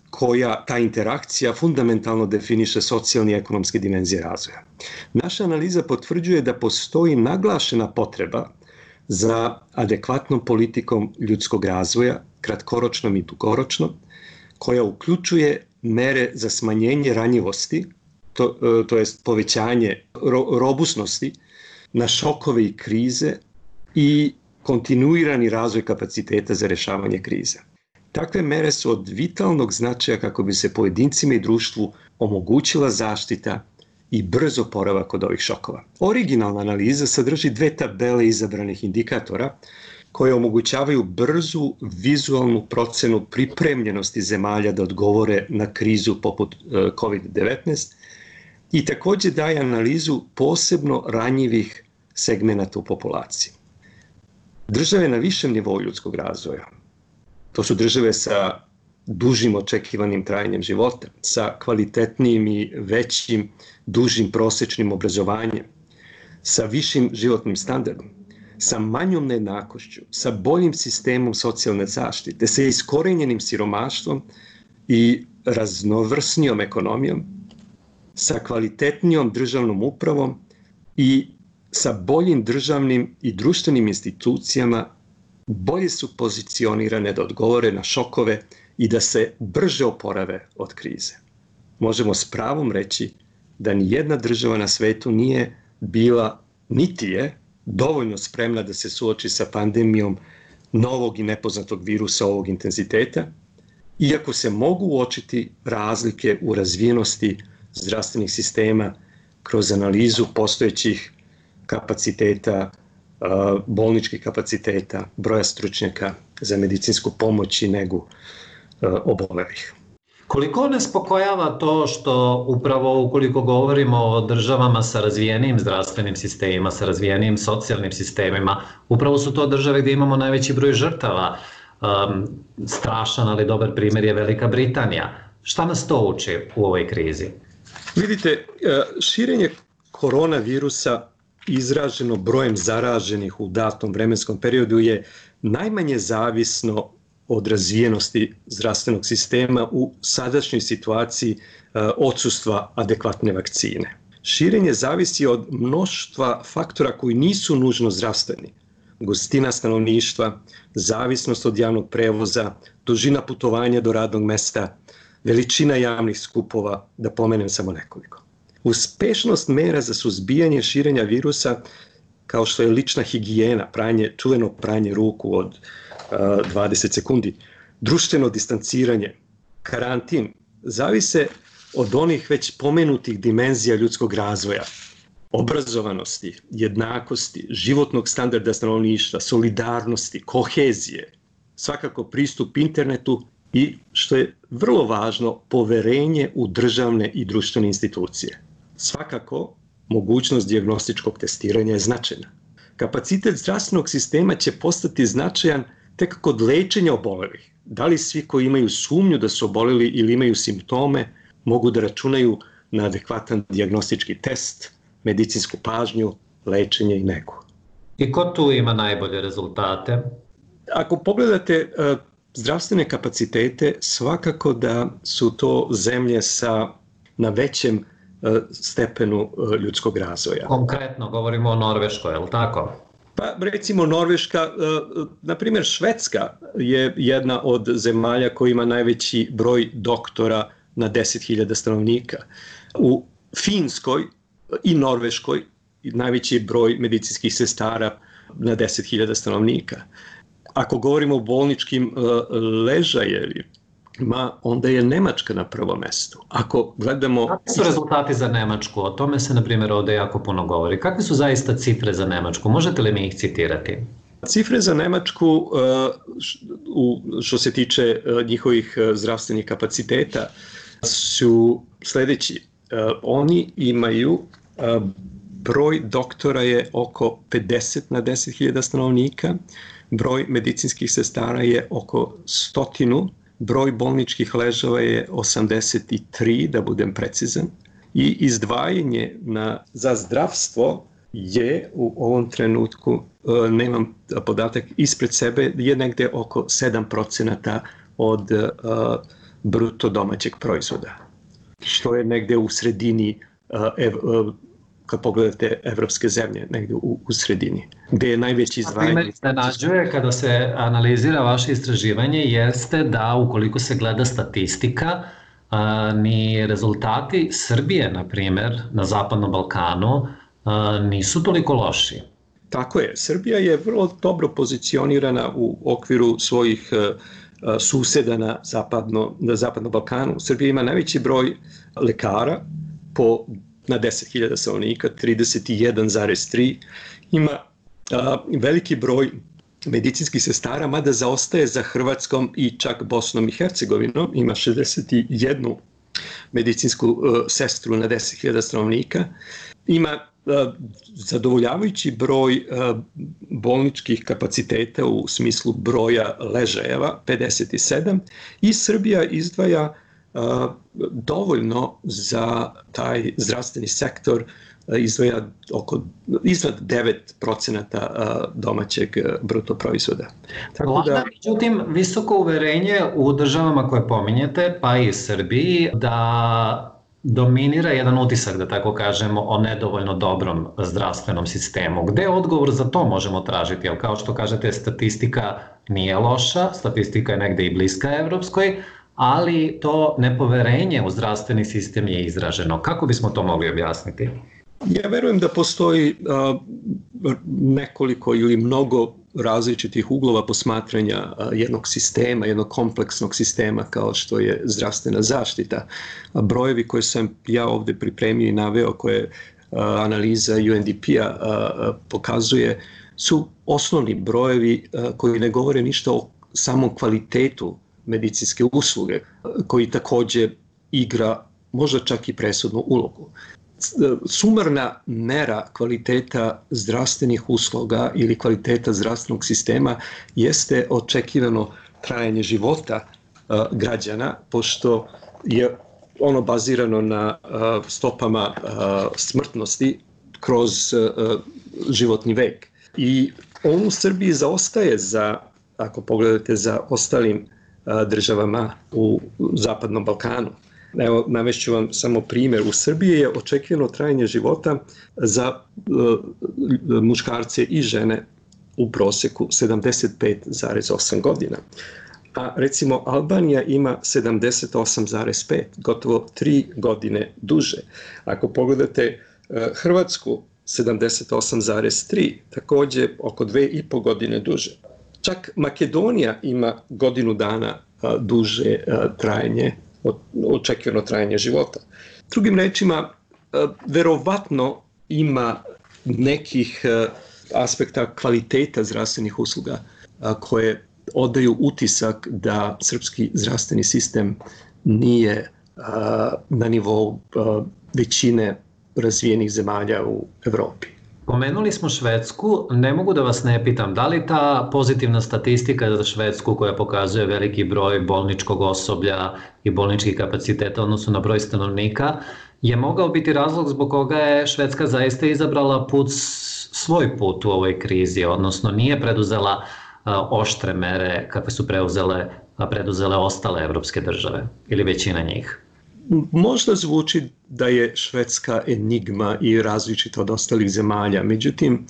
koja ta interakcija fundamentalno definiše socijalne i ekonomske dimenzije razvoja. Naša analiza potvrđuje da postoji naglašena potreba za adekvatnom politikom ljudskog razvoja, kratkoročnom i dugoročnom, koja uključuje mere za smanjenje ranjivosti, to jest povećanje robusnosti na šokove i krize i kontinuirani razvoj kapaciteta za rješavanje krize. Takve mere su od vitalnog značaja kako bi se pojedincima i društvu omogućila zaštita i brz oporavak od ovih šokova. Originalna analiza sadrži 2 tabele izabranih indikatora koje omogućavaju brzu vizualnu procenu pripremljenosti zemalja da odgovore na krizu poput COVID-19 i također daje analizu posebno ranjivih segmenata u populaciji. Države na višem nivou ljudskog razvoja, to su države sa dužim očekivanim trajanjem života, sa kvalitetnijim i većim, dužim prosječnim obrazovanjem, sa višim životnim standardom, sa manjom nejednakošću, sa boljim sistemom socijalne zaštite, sa iskorenjenim siromaštvom i raznovrsnijom ekonomijom, sa kvalitetnijom državnom upravom i sa boljim državnim i društvenim institucijama, bolje su pozicionirane da odgovore na šokove i da se brže oporave od krize. Možemo s pravom reći da ni jedna država na svetu nije bila, niti je, dovoljno spremna da se suoči sa pandemijom novog i nepoznatog virusa ovog intenziteta, iako se mogu uočiti razlike u razvijenosti zdravstvenih sistema kroz analizu postojećih kapaciteta, bolničkih kapaciteta, broja stručnjaka za medicinsku pomoć i negu obolelih. Koliko nas spokojava to što upravo ukoliko govorimo o državama sa razvijenim zdravstvenim sistemima, sa razvijenim socijalnim sistemima, upravo su to države gdje imamo najveći broj žrtava. Strašan, ali dobar primjer je Velika Britanija. Šta nas to uči u ovoj krizi? Vidite, širenje koronavirusa izraženo brojem zaraženih u datom vremenskom periodu je najmanje zavisno od razvijenosti zdravstvenog sistema u sadašnjoj situaciji odsustva adekvatne vakcine. Širenje zavisi od mnoštva faktora koji nisu nužno zdravstveni. Gustina stanovništva, zavisnost od javnog prevoza, dužina putovanja do radnog mesta, veličina javnih skupova, da pomenem samo nekoliko. Uspešnost mera za suzbijanje širenja virusa, kao što je lična higijena, čuveno pranje ruku od 20 sekundi, društveno distanciranje, karantin, zavise od onih već pomenutih dimenzija ljudskog razvoja, obrazovanosti, jednakosti, životnog standarda stanovništva, solidarnosti, kohezije, svakako pristup internetu i, što je vrlo važno, poverenje u državne i društvene institucije. Svakako, mogućnost dijagnostičkog testiranja je značajna. Kapacitet zdravstvenog sistema će postati značajan tek kod lečenja obolelih. Da li svi koji imaju sumnju da su oboleli ili imaju simptome mogu da računaju na adekvatan dijagnostički test, medicinsku pažnju, lečenje i negu. I ko tu ima najbolje rezultate? Ako pogledate zdravstvene kapacitete, svakako da su to zemlje na većem stepenu ljudskog razvoja. Konkretno govorimo o Norveškoj, je li tako? Pa recimo Norveška, na primjer Švedska je jedna od zemalja koja ima najveći broj doktora na 10.000 stanovnika. U Finskoj i Norveškoj najveći broj medicinskih sestara na 10.000 stanovnika. Ako govorimo o bolničkim ležajevima, onda je Nemačka na prvom mestu. Ako gledamo... Kakvi su rezultati za Nemačku? O tome se, na primjer, ovdje jako puno govori. Kakve su zaista cifre za Nemačku? Možete li mi ih citirati? Cifre za Nemačku, što se tiče njihovih zdravstvenih kapaciteta, su sljedeći. Oni imaju, broj doktora je oko 50 na 10.000 stanovnika, broj medicinskih sestara je oko 100, broj bolničkih ležava je 83, da budem precizan, i izdvajanje za zdravstvo je u ovom trenutku, nemam podatak ispred sebe, je negde oko 7% od bruto domaćeg proizvoda, što je negde u sredini, kad pogledate evropske zemlje, negde u sredini, gde je najveći izdvajanje. A me nađuje kada se analizira vaše istraživanje jeste da ukoliko se gleda statistika, ni rezultati Srbije, na primjer, na Zapadnom Balkanu, nisu toliko loši. Tako je. Srbija je vrlo dobro pozicionirana u okviru svojih suseda na Zapadnom Balkanu. Srbija ima najveći broj lekara na 10.000 stanovnika, 31,3. Ima veliki broj medicinskih sestara, mada zaostaje za Hrvatskom i čak Bosnom i Hercegovinom. Ima 61 medicinsku sestru na 10.000 stanovnika. Ima zadovoljavajući broj bolničkih kapaciteta u smislu broja ležajeva, 57, i Srbija izdvaja dovoljno za taj zdravstveni sektor, izdvaja iznad 9% domaćeg bruto proizvoda. Vlada, međutim, visoko uverenje u državama koje pominjete, pa i Srbiji, da dominira jedan utisak, da tako kažemo, o nedovoljno dobrom zdravstvenom sistemu. Gde odgovor za to možemo tražiti? Jer kao što kažete, statistika nije loša, statistika je negde i bliska evropskoj, ali to nepoverenje u zdravstveni sistem je izraženo. Kako bismo to mogli objasniti? Ja verujem da postoji nekoliko ili mnogo različitih uglova posmatranja jednog sistema, jednog kompleksnog sistema kao što je zdravstvena zaštita. Brojevi koje sam ja ovdje pripremio i naveo, koje analiza UNDP-a pokazuje, su osnovni brojevi koji ne govore ništa o samom kvalitetu medicinske usluge, koji također igra možda čak i presudnu ulogu. Sumarna mera kvaliteta zdravstvenih usluga ili kvaliteta zdravstvenog sistema jeste očekivano trajanje života građana, pošto je ono bazirano na stopama smrtnosti kroz životni vek. I on u Srbiji zaostaje ako pogledate, za ostalim državama u Zapadnom Balkanu. Evo, navešću vam samo primjer. U Srbiji je očekivano trajanje života za muškarce i žene u proseku 75,8 godina. A recimo Albanija ima 78,5, gotovo 3 godine duže. Ako pogledate Hrvatsku, 78,3, također oko 2,5 godine duže. Čak Makedonija ima godinu dana duže očekivano trajanje života. Drugim rečima, verovatno ima nekih aspekta kvaliteta zdravstvenih usluga koje odaju utisak da srpski zdravstveni sistem nije na nivou većine razvijenih zemalja u Evropi. Pomenuli smo Švedsku, ne mogu da vas ne pitam, da li ta pozitivna statistika za Švedsku koja pokazuje veliki broj bolničkog osoblja i bolničkih kapaciteta odnosno na broj stanovnika je mogao biti razlog zbog koga je Švedska zaista izabrala svoj put u ovoj krizi, odnosno nije preduzela oštre mere kakve su preduzele ostale evropske države ili većina njih? Možda zvuči da je Švedska enigma i različita od ostalih zemalja, međutim,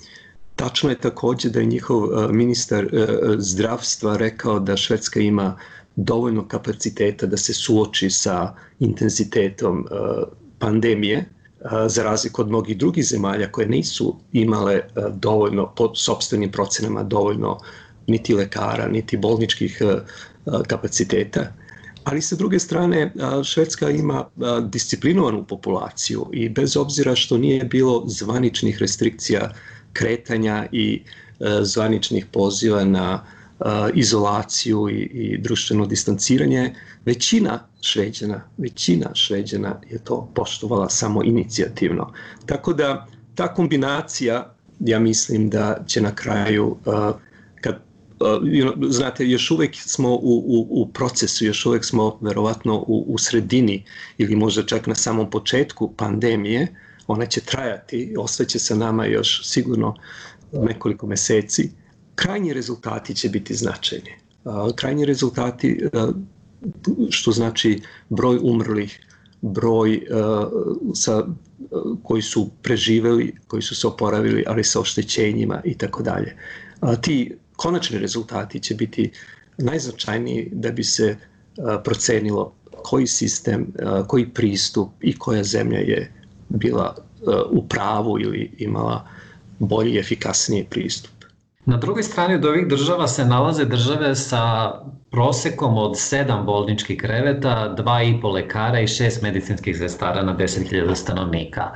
tačno je također da je njihov ministar zdravstva rekao da Švedska ima dovoljno kapaciteta da se suoči sa intenzitetom pandemije, za razliku od mnogih drugih zemalja koje nisu imale dovoljno, po sopstvenim procenama, dovoljno niti lekara, niti bolničkih kapaciteta. Ali sa druge strane, Švedska ima disciplinovanu populaciju i bez obzira što nije bilo zvaničnih restrikcija kretanja i zvaničnih poziva na izolaciju i društveno distanciranje, većina Šveđana je to poštovala samo inicijativno. Tako da ta kombinacija, ja mislim da će na kraju, znate, još uvijek smo u procesu, još uvijek smo verovatno u sredini ili možda čak na samom početku pandemije, ona će trajati, ostaće sa nama još sigurno nekoliko meseci. Krajnji rezultati će biti značajni. Krajnji rezultati, što znači broj umrlih, broj koji su preživjeli, koji su se oporavili, ali sa oštećenjima i tako dalje. Ti konačni rezultati će biti najznačajniji da bi se procenilo koji sistem, koji pristup i koja zemlja je bila u pravu ili imala bolji i efikasniji pristup. Na drugoj strani od ovih država se nalaze države sa prosekom od 7 bolničkih kreveta, 2,5 lekara i 6 medicinskih sestara na 10.000 stanovnika.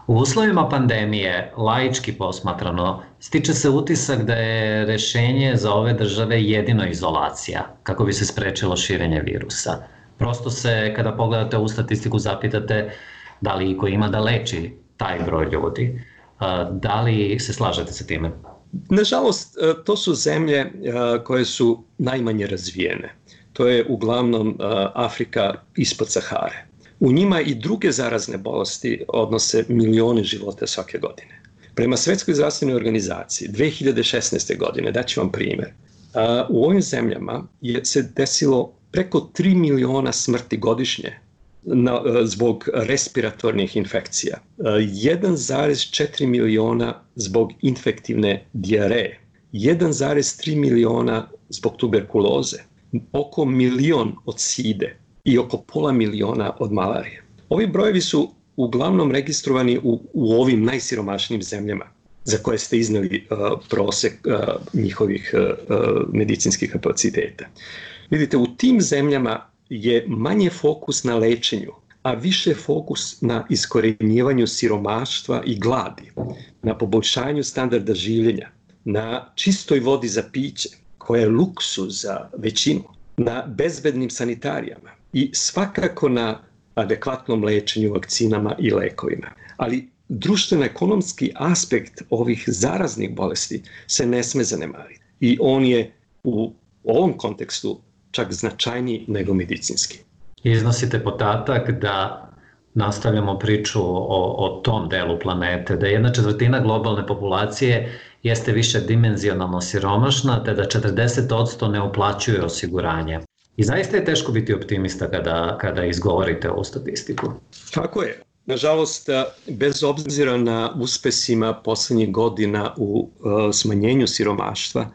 U uslovima pandemije, laički posmatrano, stiče se utisak da je rešenje za ove države jedino izolacija, kako bi se sprečilo širenje virusa. Prosto se, kada pogledate ovu statistiku, zapitate da li iko ima da leči taj broj ljudi. Da li se slažete sa time? Nažalost, to su zemlje koje su najmanje razvijene. To je uglavnom Afrika ispod Sahare. U njima i druge zarazne bolesti odnose milione života svake godine. Prema Svetskoj zdravstvenoj organizaciji 2016. godine, daću vam primjer, u ovim zemljama se desilo preko 3 miliona smrti godišnje zbog respiratornih infekcija, 1,4 miliona zbog infektivne dijareje, 1,3 miliona zbog tuberkuloze, oko 1 milion od side i oko pola miliona od malarije. Ovi brojevi su uglavnom registrovani u ovim najsiromašnijim zemljama za koje ste iznali prosek njihovih medicinskih kapaciteta. Vidite, u tim zemljama je manje fokus na lečenju, a više fokus na iskorenjivanju siromaštva i gladi, na poboljšanju standarda življenja, na čistoj vodi za piće, koja je luksuz za većinu, na bezbednim sanitarijama i svakako na adekvatnom lečenju, vakcinama i lekovima. Ali društveno-ekonomski aspekt ovih zaraznih bolesti se ne sme zanemariti. I on je u ovom kontekstu čak značajniji nego medicinski. Iznosite podatak da nastavljamo priču o tom delu planete, da 1/4 globalne populacije jeste više dimenzionalno siromašna, te da 40% ne uplaćuje osiguranje. I zaista je teško biti optimista kada izgovorite ovu statistiku. Tako je. Nažalost, bez obzira na uspesima poslednjih godina u smanjenju siromaštva,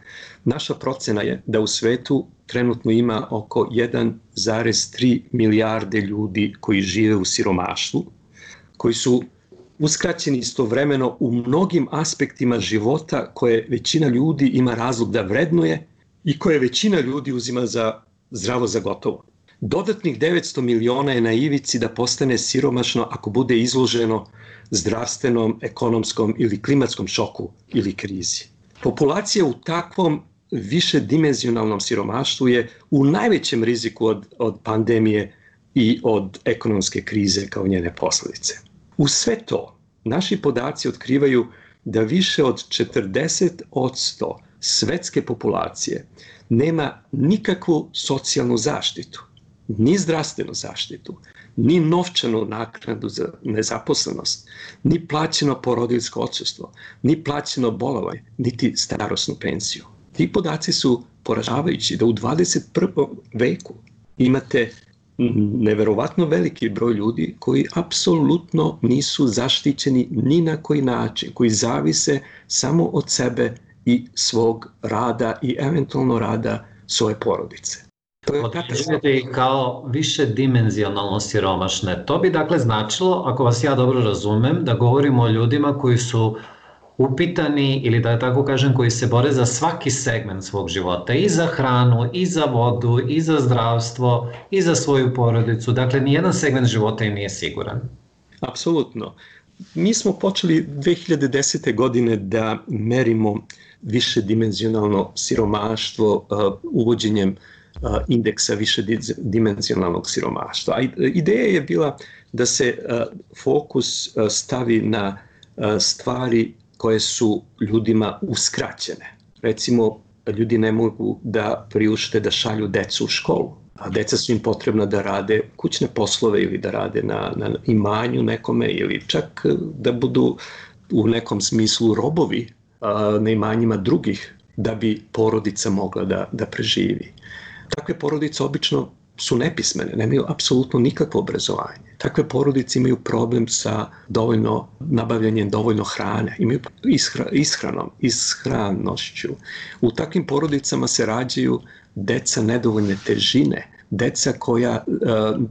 naša procena je da u svetu trenutno ima oko 1,3 milijarde ljudi koji žive u siromaštvu, koji su uskraćeni istovremeno u mnogim aspektima života koje većina ljudi ima razlog da vrednuje i koje većina ljudi uzima za zdravo za gotovo. Dodatnih 900 miliona je na ivici da postane siromašno ako bude izloženo zdravstvenom, ekonomskom ili klimatskom šoku ili krizi. Populacija u takvom višedimenzionalnom siromaštvu je u najvećem riziku od pandemije i od ekonomske krize kao njene posledice. U sve to, naši podaci otkrivaju da više od 40% svetske populacije nema nikakvu socijalnu zaštitu, ni zdravstvenu zaštitu, ni novčanu naknadu za nezaposlenost, ni plaćeno porodiljsko odsustvo, ni plaćeno bolovanje, niti starosnu penziju. Ti podaci su poražavajući da u 21. veku imate neverovatno veliki broj ljudi koji apsolutno nisu zaštićeni ni na koji način, koji zavise samo od sebe i svog rada i eventualno rada svoje porodice. Određujete ih kao više dimenzionalno siromašne. To bi dakle značilo, ako vas ja dobro razumem, da govorimo o ljudima koji su upitani ili da tako kažem koji se bore za svaki segment svog života, i za hranu, i za vodu, i za zdravstvo, i za svoju porodicu. Dakle, nijedan segment života im nije siguran. Apsolutno. Mi smo počeli 2010. godine da merimo višedimenzionalno siromaštvo uvođenjem indeksa višedimenzionalnog siromaštva. Ideja je bila da se fokus stavi na stvari koje su ljudima uskraćene. Recimo, ljudi ne mogu da priušte da šalju decu u školu, a deca su im potrebna da rade kućne poslove ili da rade na imanju nekome ili čak da budu u nekom smislu robovi na imanjima drugih da bi porodica mogla da preživi. Takve porodice obično su nepismene, nemaju apsolutno nikakvo obrazovanje. Takve porodice imaju problem sa nabavljanjem dovoljno hrane, imaju ishranošću. U takvim porodicama se rađaju deca nedovoljne težine, deca koja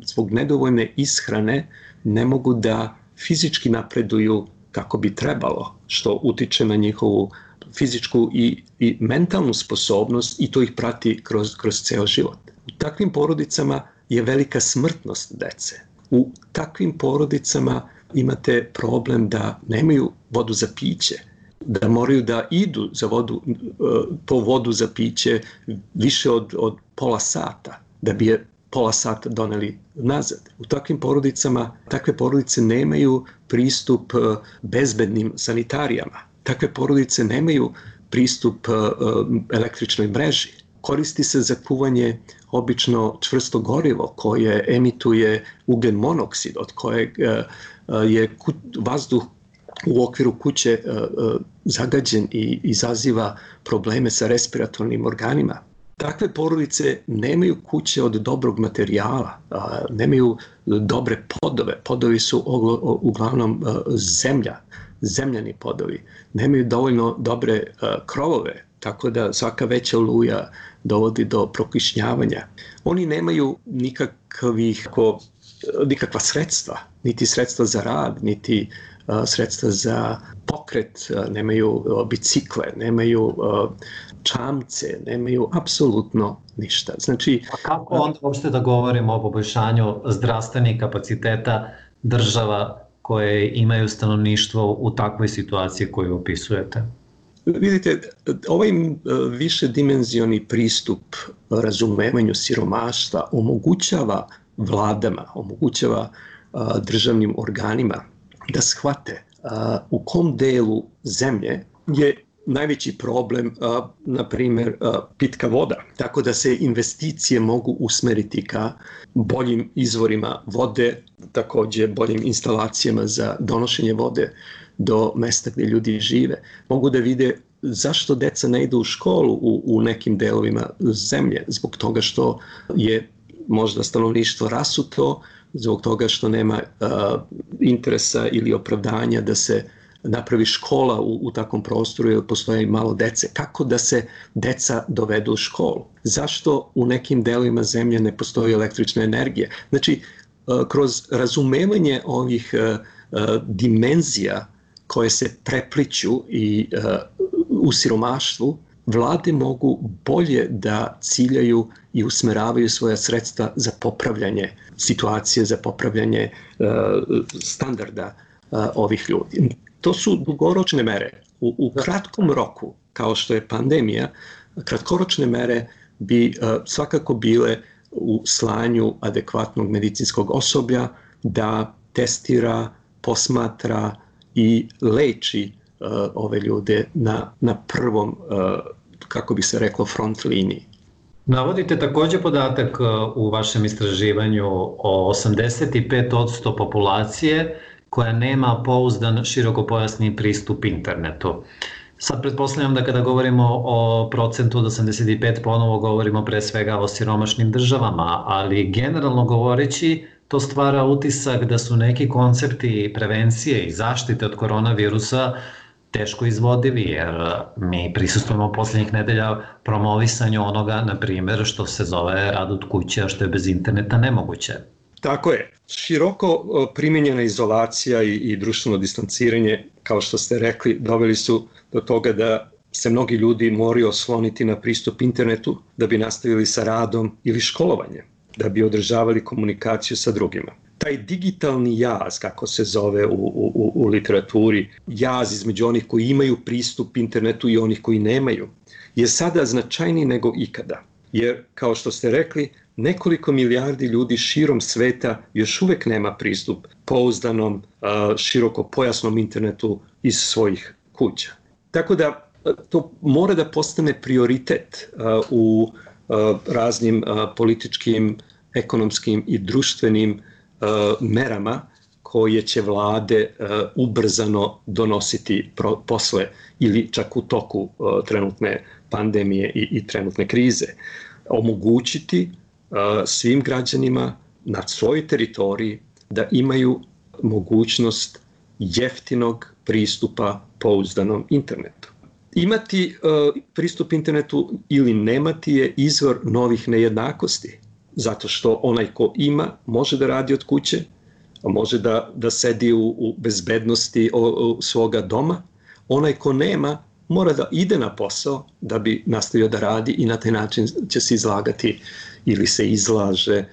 zbog nedovoljne ishrane ne mogu da fizički napreduju kako bi trebalo, što utiče na njihovu fizičku i mentalnu sposobnost i to ih prati kroz ceo život. U takvim porodicama je velika smrtnost dece. U takvim porodicama imate problem da nemaju vodu za piće, da moraju da idu po vodu za piće više od pola sata, da bi je pola sata doneli nazad. U takvim porodicama, takve porodice nemaju pristup bezbednim sanitarijama. Takve porodice nemaju pristup električnoj mreži. Koristi se za kuvanje obično čvrsto gorivo koje emituje ugljen monoksid, od kojeg je vazduh u okviru kuće zagađen i izaziva probleme sa respiratornim organima. Takve porodice nemaju kuće od dobrog materijala, nemaju dobre podove. Podovi su uglavnom zemljani podovi. Nemaju dovoljno dobre krovove, tako da svaka veća oluja dovodi do prokišnjavanja. Oni nemaju nikakva sredstva, niti sredstva za rad, niti sredstva za pokret, nemaju bicikle, nemaju čamce, nemaju apsolutno ništa. Znači, a kako onda uopšte da govorimo o poboljšanju zdravstvenih kapaciteta država koje imaju stanovništvo u takvoj situaciji koju opisujete? Vidite, ovaj višedimenzioni pristup razumevanju siromaštva omogućava vladama, omogućava državnim organima da shvate u kom delu zemlje je najveći problem, na primjer, pitka voda. Tako da se investicije mogu usmeriti ka boljim izvorima vode, također boljim instalacijama za donošenje vode do mesta gdje ljudi žive. Mogu da vide zašto deca ne idu u školu u nekim delovima zemlje, zbog toga što je možda stanovništvo rasuto, zbog toga što nema interesa ili opravdanja da se napravi škola u takvom prostoru jer postoje malo dece. Kako da se deca dovedu u školu? Zašto u nekim delovima zemlje ne postoji električna energija? Znači, kroz razumevanje ovih dimenzija koje se prepliću i u siromaštvu, vlade mogu bolje da ciljaju i usmeravaju svoja sredstva za popravljanje situacije, za popravljanje standarda ovih ljudi. To su dugoročne mere. U kratkom roku, kao što je pandemija, kratkoročne mere bi svakako bile u slanju adekvatnog medicinskog osoblja da testira, posmatra i leči ove ljude na prvom, kako bi se reklo, front liniji. Navodite također podatak u vašem istraživanju o 85% populacije koja nema pouzdan širokopojasni pristup internetu. Sad pretpostavljam da kada govorimo o procentu od 85, ponovo govorimo pre svega o siromašnim državama, ali generalno govoreći to stvara utisak da su neki koncepti prevencije i zaštite od koronavirusa teško izvodivi, jer mi prisustujemo posljednjih nedelja promovisanju onoga, na primjer, što se zove rad od kuće, a što je bez interneta nemoguće. Tako je. Široko primjenjena izolacija i društveno distanciranje, kao što ste rekli, doveli su do toga da se mnogi ljudi moraju osloniti na pristup internetu da bi nastavili sa radom ili školovanjem, da bi održavali komunikaciju sa drugima. Taj digitalni jaz, kako se zove u literaturi, jaz između onih koji imaju pristup internetu i onih koji nemaju, je sada značajniji nego ikada. Jer, kao što ste rekli, nekoliko milijardi ljudi širom sveta još uvijek nema pristup pouzdanom, širokopojasnom internetu iz svojih kuća. Tako da to mora da postane prioritet u raznim političkim, ekonomskim i društvenim merama koje će vlade ubrzano donositi posle ili čak u toku trenutne pandemije i trenutne krize. Omogućiti svim građanima na svojoj teritoriji da imaju mogućnost jeftinog pristupa pouzdanom internetu. Imati pristup internetu ili nemati je izvor novih nejednakosti, zato što onaj ko ima može da radi od kuće, može da sedi u bezbednosti svoga doma, onaj ko nema mora da ide na posao da bi nastavio da radi i na taj način će se izlagati ili se izlaže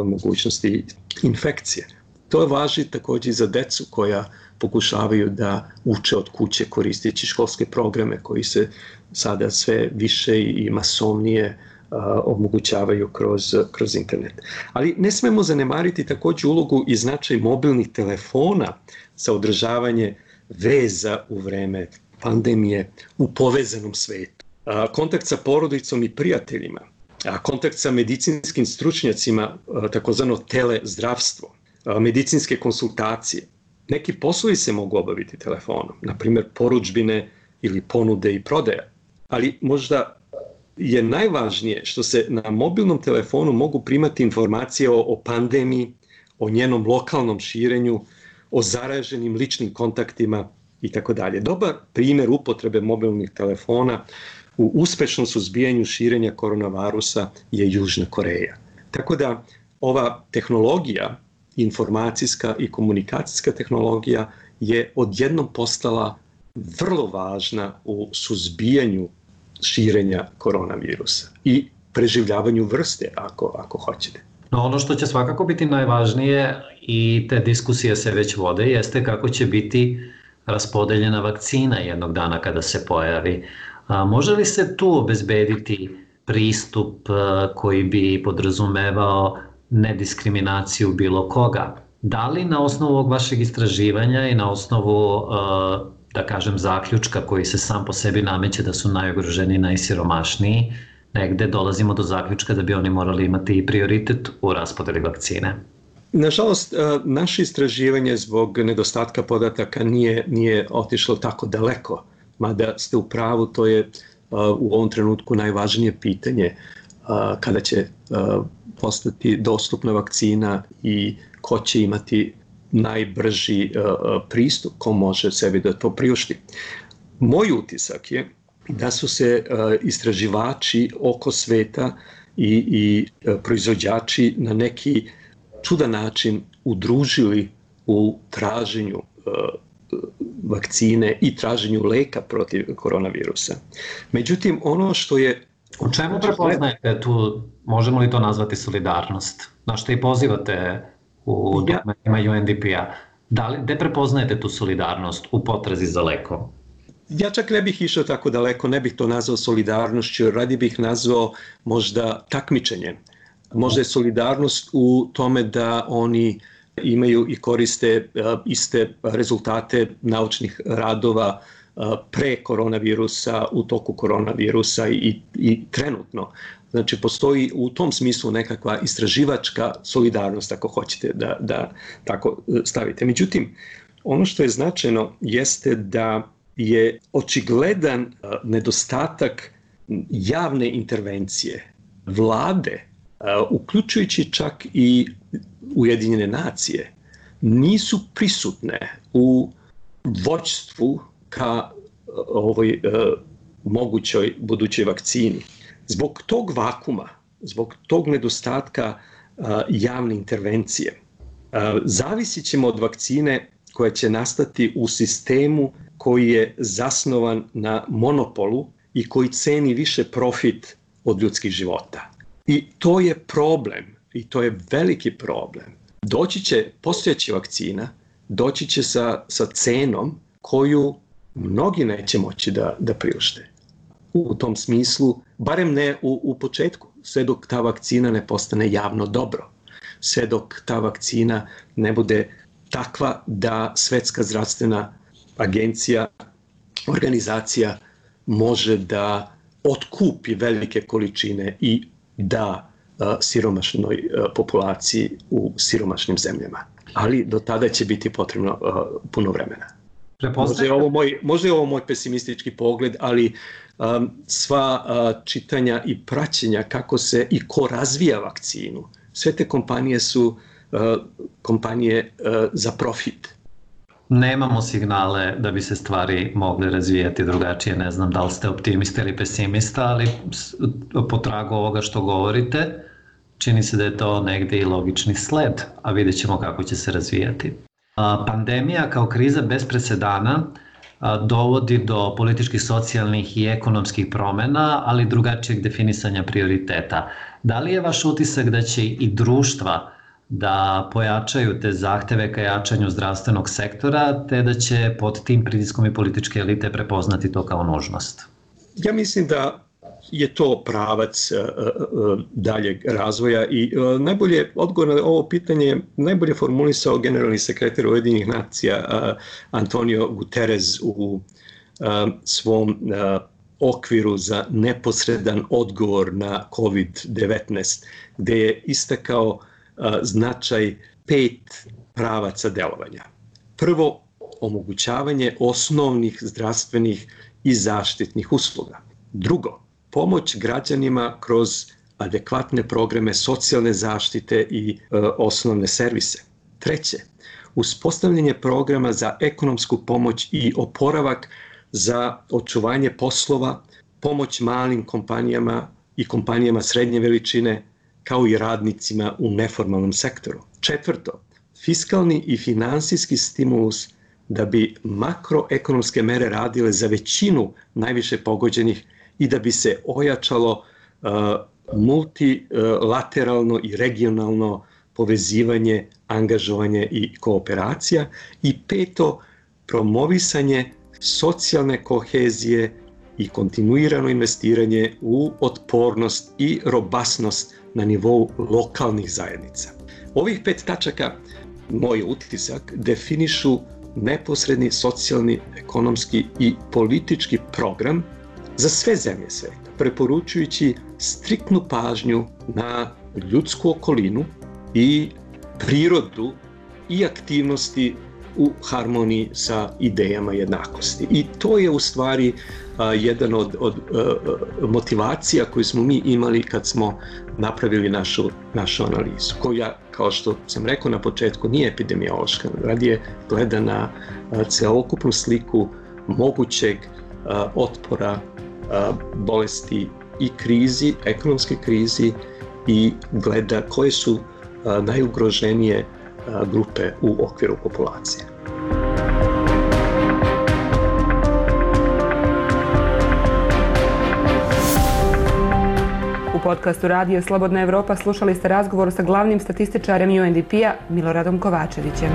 mogućnosti infekcije. To važi također i za decu koja pokušavaju da uče od kuće koristeći školske programe koji se sada sve više i masovnije omogućavaju kroz internet. Ali ne smemo zanemariti također ulogu i značaj mobilnih telefona za održavanje veza u vreme pandemije u povezanom svetu. Kontakt sa porodicom i prijateljima, kontakt sa medicinskim stručnjacima, takozvano telezdravstvo, medicinske konsultacije. Neki poslovi se mogu obaviti telefonom, na primjer porudžbine ili ponude i prodaja. Ali možda je najvažnije što se na mobilnom telefonu mogu primati informacije o pandemiji, o njenom lokalnom širenju, o zaraženim ličnim kontaktima itd. Dobar primjer upotrebe mobilnih telefona u uspešnom suzbijanju širenja koronavirusa je Južna Koreja. Tako da ova tehnologija, informacijska i komunikacijska tehnologija, je odjednom postala vrlo važna u suzbijanju širenja koronavirusa i preživljavanju vrste, ako hoćete. No, ono što će svakako biti najvažnije, i te diskusije se već vode, jeste kako će biti raspodeljena vakcina jednog dana kada se pojavi. Može li se tu obezbediti pristup koji bi podrazumevao nediskriminaciju bilo koga? Da li na osnovu ovog vašeg istraživanja i na osnovu da kažem, zaključka koji se sam po sebi nameće da su najugroženiji, najsiromašniji, negde dolazimo do zaključka da bi oni morali imati i prioritet u raspodeli vakcine. Nažalost, naše istraživanje zbog nedostatka podataka nije otišlo tako daleko, mada ste u pravu, to je u ovom trenutku najvažnije pitanje kada će postati dostupna vakcina i ko će imati najbrži pristup, ko može sebi da to priušti. Moj utisak je da su se istraživači oko sveta i proizvođači na neki čudan način udružili u traženju vakcine i traženju leka protiv koronavirusa. Međutim, ono što je... U čemu prepoznajete tu, možemo li to nazvati solidarnost? Na što i pozivate u dokumentima UNDP-a. Gde prepoznajete tu solidarnost u potrazi za lekom? Ja čak ne bih išao tako daleko, ne bih to nazvao solidarnošću, radi bih nazvao možda takmičenjem. Možda je solidarnost u tome da oni imaju i koriste iste rezultate naučnih radova pre koronavirusa, u toku koronavirusa i trenutno. Znači, postoji u tom smislu nekakva istraživačka solidarnost, ako hoćete da tako stavite. Međutim, ono što je značajno jeste da je očigledan nedostatak javne intervencije vlade, uključujući čak i Ujedinjene nacije, nisu prisutne u vođstvu ka ovoj mogućoj budućoj vakcini. Zbog tog vakuma, zbog tog nedostatka javne intervencije, zavisit ćemo od vakcine koja će nastati u sistemu koji je zasnovan na monopolu i koji ceni više profit od ljudskih života. I to je problem, i to je veliki problem. Doći će, postojeća vakcina, doći će sa cenom koju mnogi neće moći da priušte. U tom smislu, barem ne u početku, sve dok ta vakcina ne postane javno dobro, sve dok ta vakcina ne bude takva da Svetska zdravstvena agencija, organizacija može da otkupi velike količine i da siromašnoj populaciji u siromašnim zemljama. Ali do tada će biti potrebno puno vremena. Možda je ovo moj pesimistički pogled, ali sva čitanja i praćenja kako se i ko razvija vakcinu, sve te kompanije su kompanije za profit. Nemamo signale da bi se stvari mogle razvijati drugačije. Ne znam da li ste optimista ili pesimista, ali po tragu ovoga što govorite, čini se da je to negde i logični sled, a vidjet ćemo kako će se razvijati. Pandemija kao kriza bez presedana dovodi do političkih, socijalnih i ekonomskih promjena, ali drugačijeg definisanja prioriteta. Da li je vaš utisak da će i društva da pojačaju te zahteve ka jačanju zdravstvenog sektora, te da će pod tim pritiskom i političke elite prepoznati to kao nužnost? Ja mislim da je to pravac daljeg razvoja i najbolje odgovor na ovo pitanje najbolje formulisao generalni sekretar Ujedinjenih nacija Antonio Guterres u svom okviru za neposredan odgovor na COVID-19, gde je istakao značaj 5 pravaca delovanja. Prvo, omogućavanje osnovnih zdravstvenih i zaštitnih usluga. Drugo, pomoć građanima kroz adekvatne programe socijalne zaštite i osnovne servise. Treće, uspostavljanje programa za ekonomsku pomoć i oporavak za očuvanje poslova, pomoć malim kompanijama i kompanijama srednje veličine, kao i radnicima u neformalnom sektoru. Četvrto, fiskalni i finansijski stimulus da bi makroekonomske mere radile za većinu najviše pogođenih i da bi se ojačalo multilateralno i regionalno povezivanje, angažovanje i kooperacija. I peto, promovisanje socijalne kohezije i kontinuirano investiranje u otpornost i robustnost na nivou lokalnih zajednica. Ovih 5 tačaka, moj utisak, definišu neposredni socijalni, ekonomski i politički program za sve zemlje sveta, preporučujući striktnu pažnju na ljudsku okolinu i prirodu i aktivnosti u harmoniji sa idejama jednakosti. I to je u stvari jedan od motivacija koju smo mi imali kad smo napravili našu analizu, koja, kao što sam rekao na početku, nije epidemiološka, radije gleda na celokupnu sliku mogućeg otpora bolesti i krizi, ekonomske krizi, i gleda koje su najugroženije grupe u okviru populacije. U podcastu Radija Slobodna Evropa slušali ste razgovor sa glavnim statističarem UNDP-a Miloradom Kovačevićem.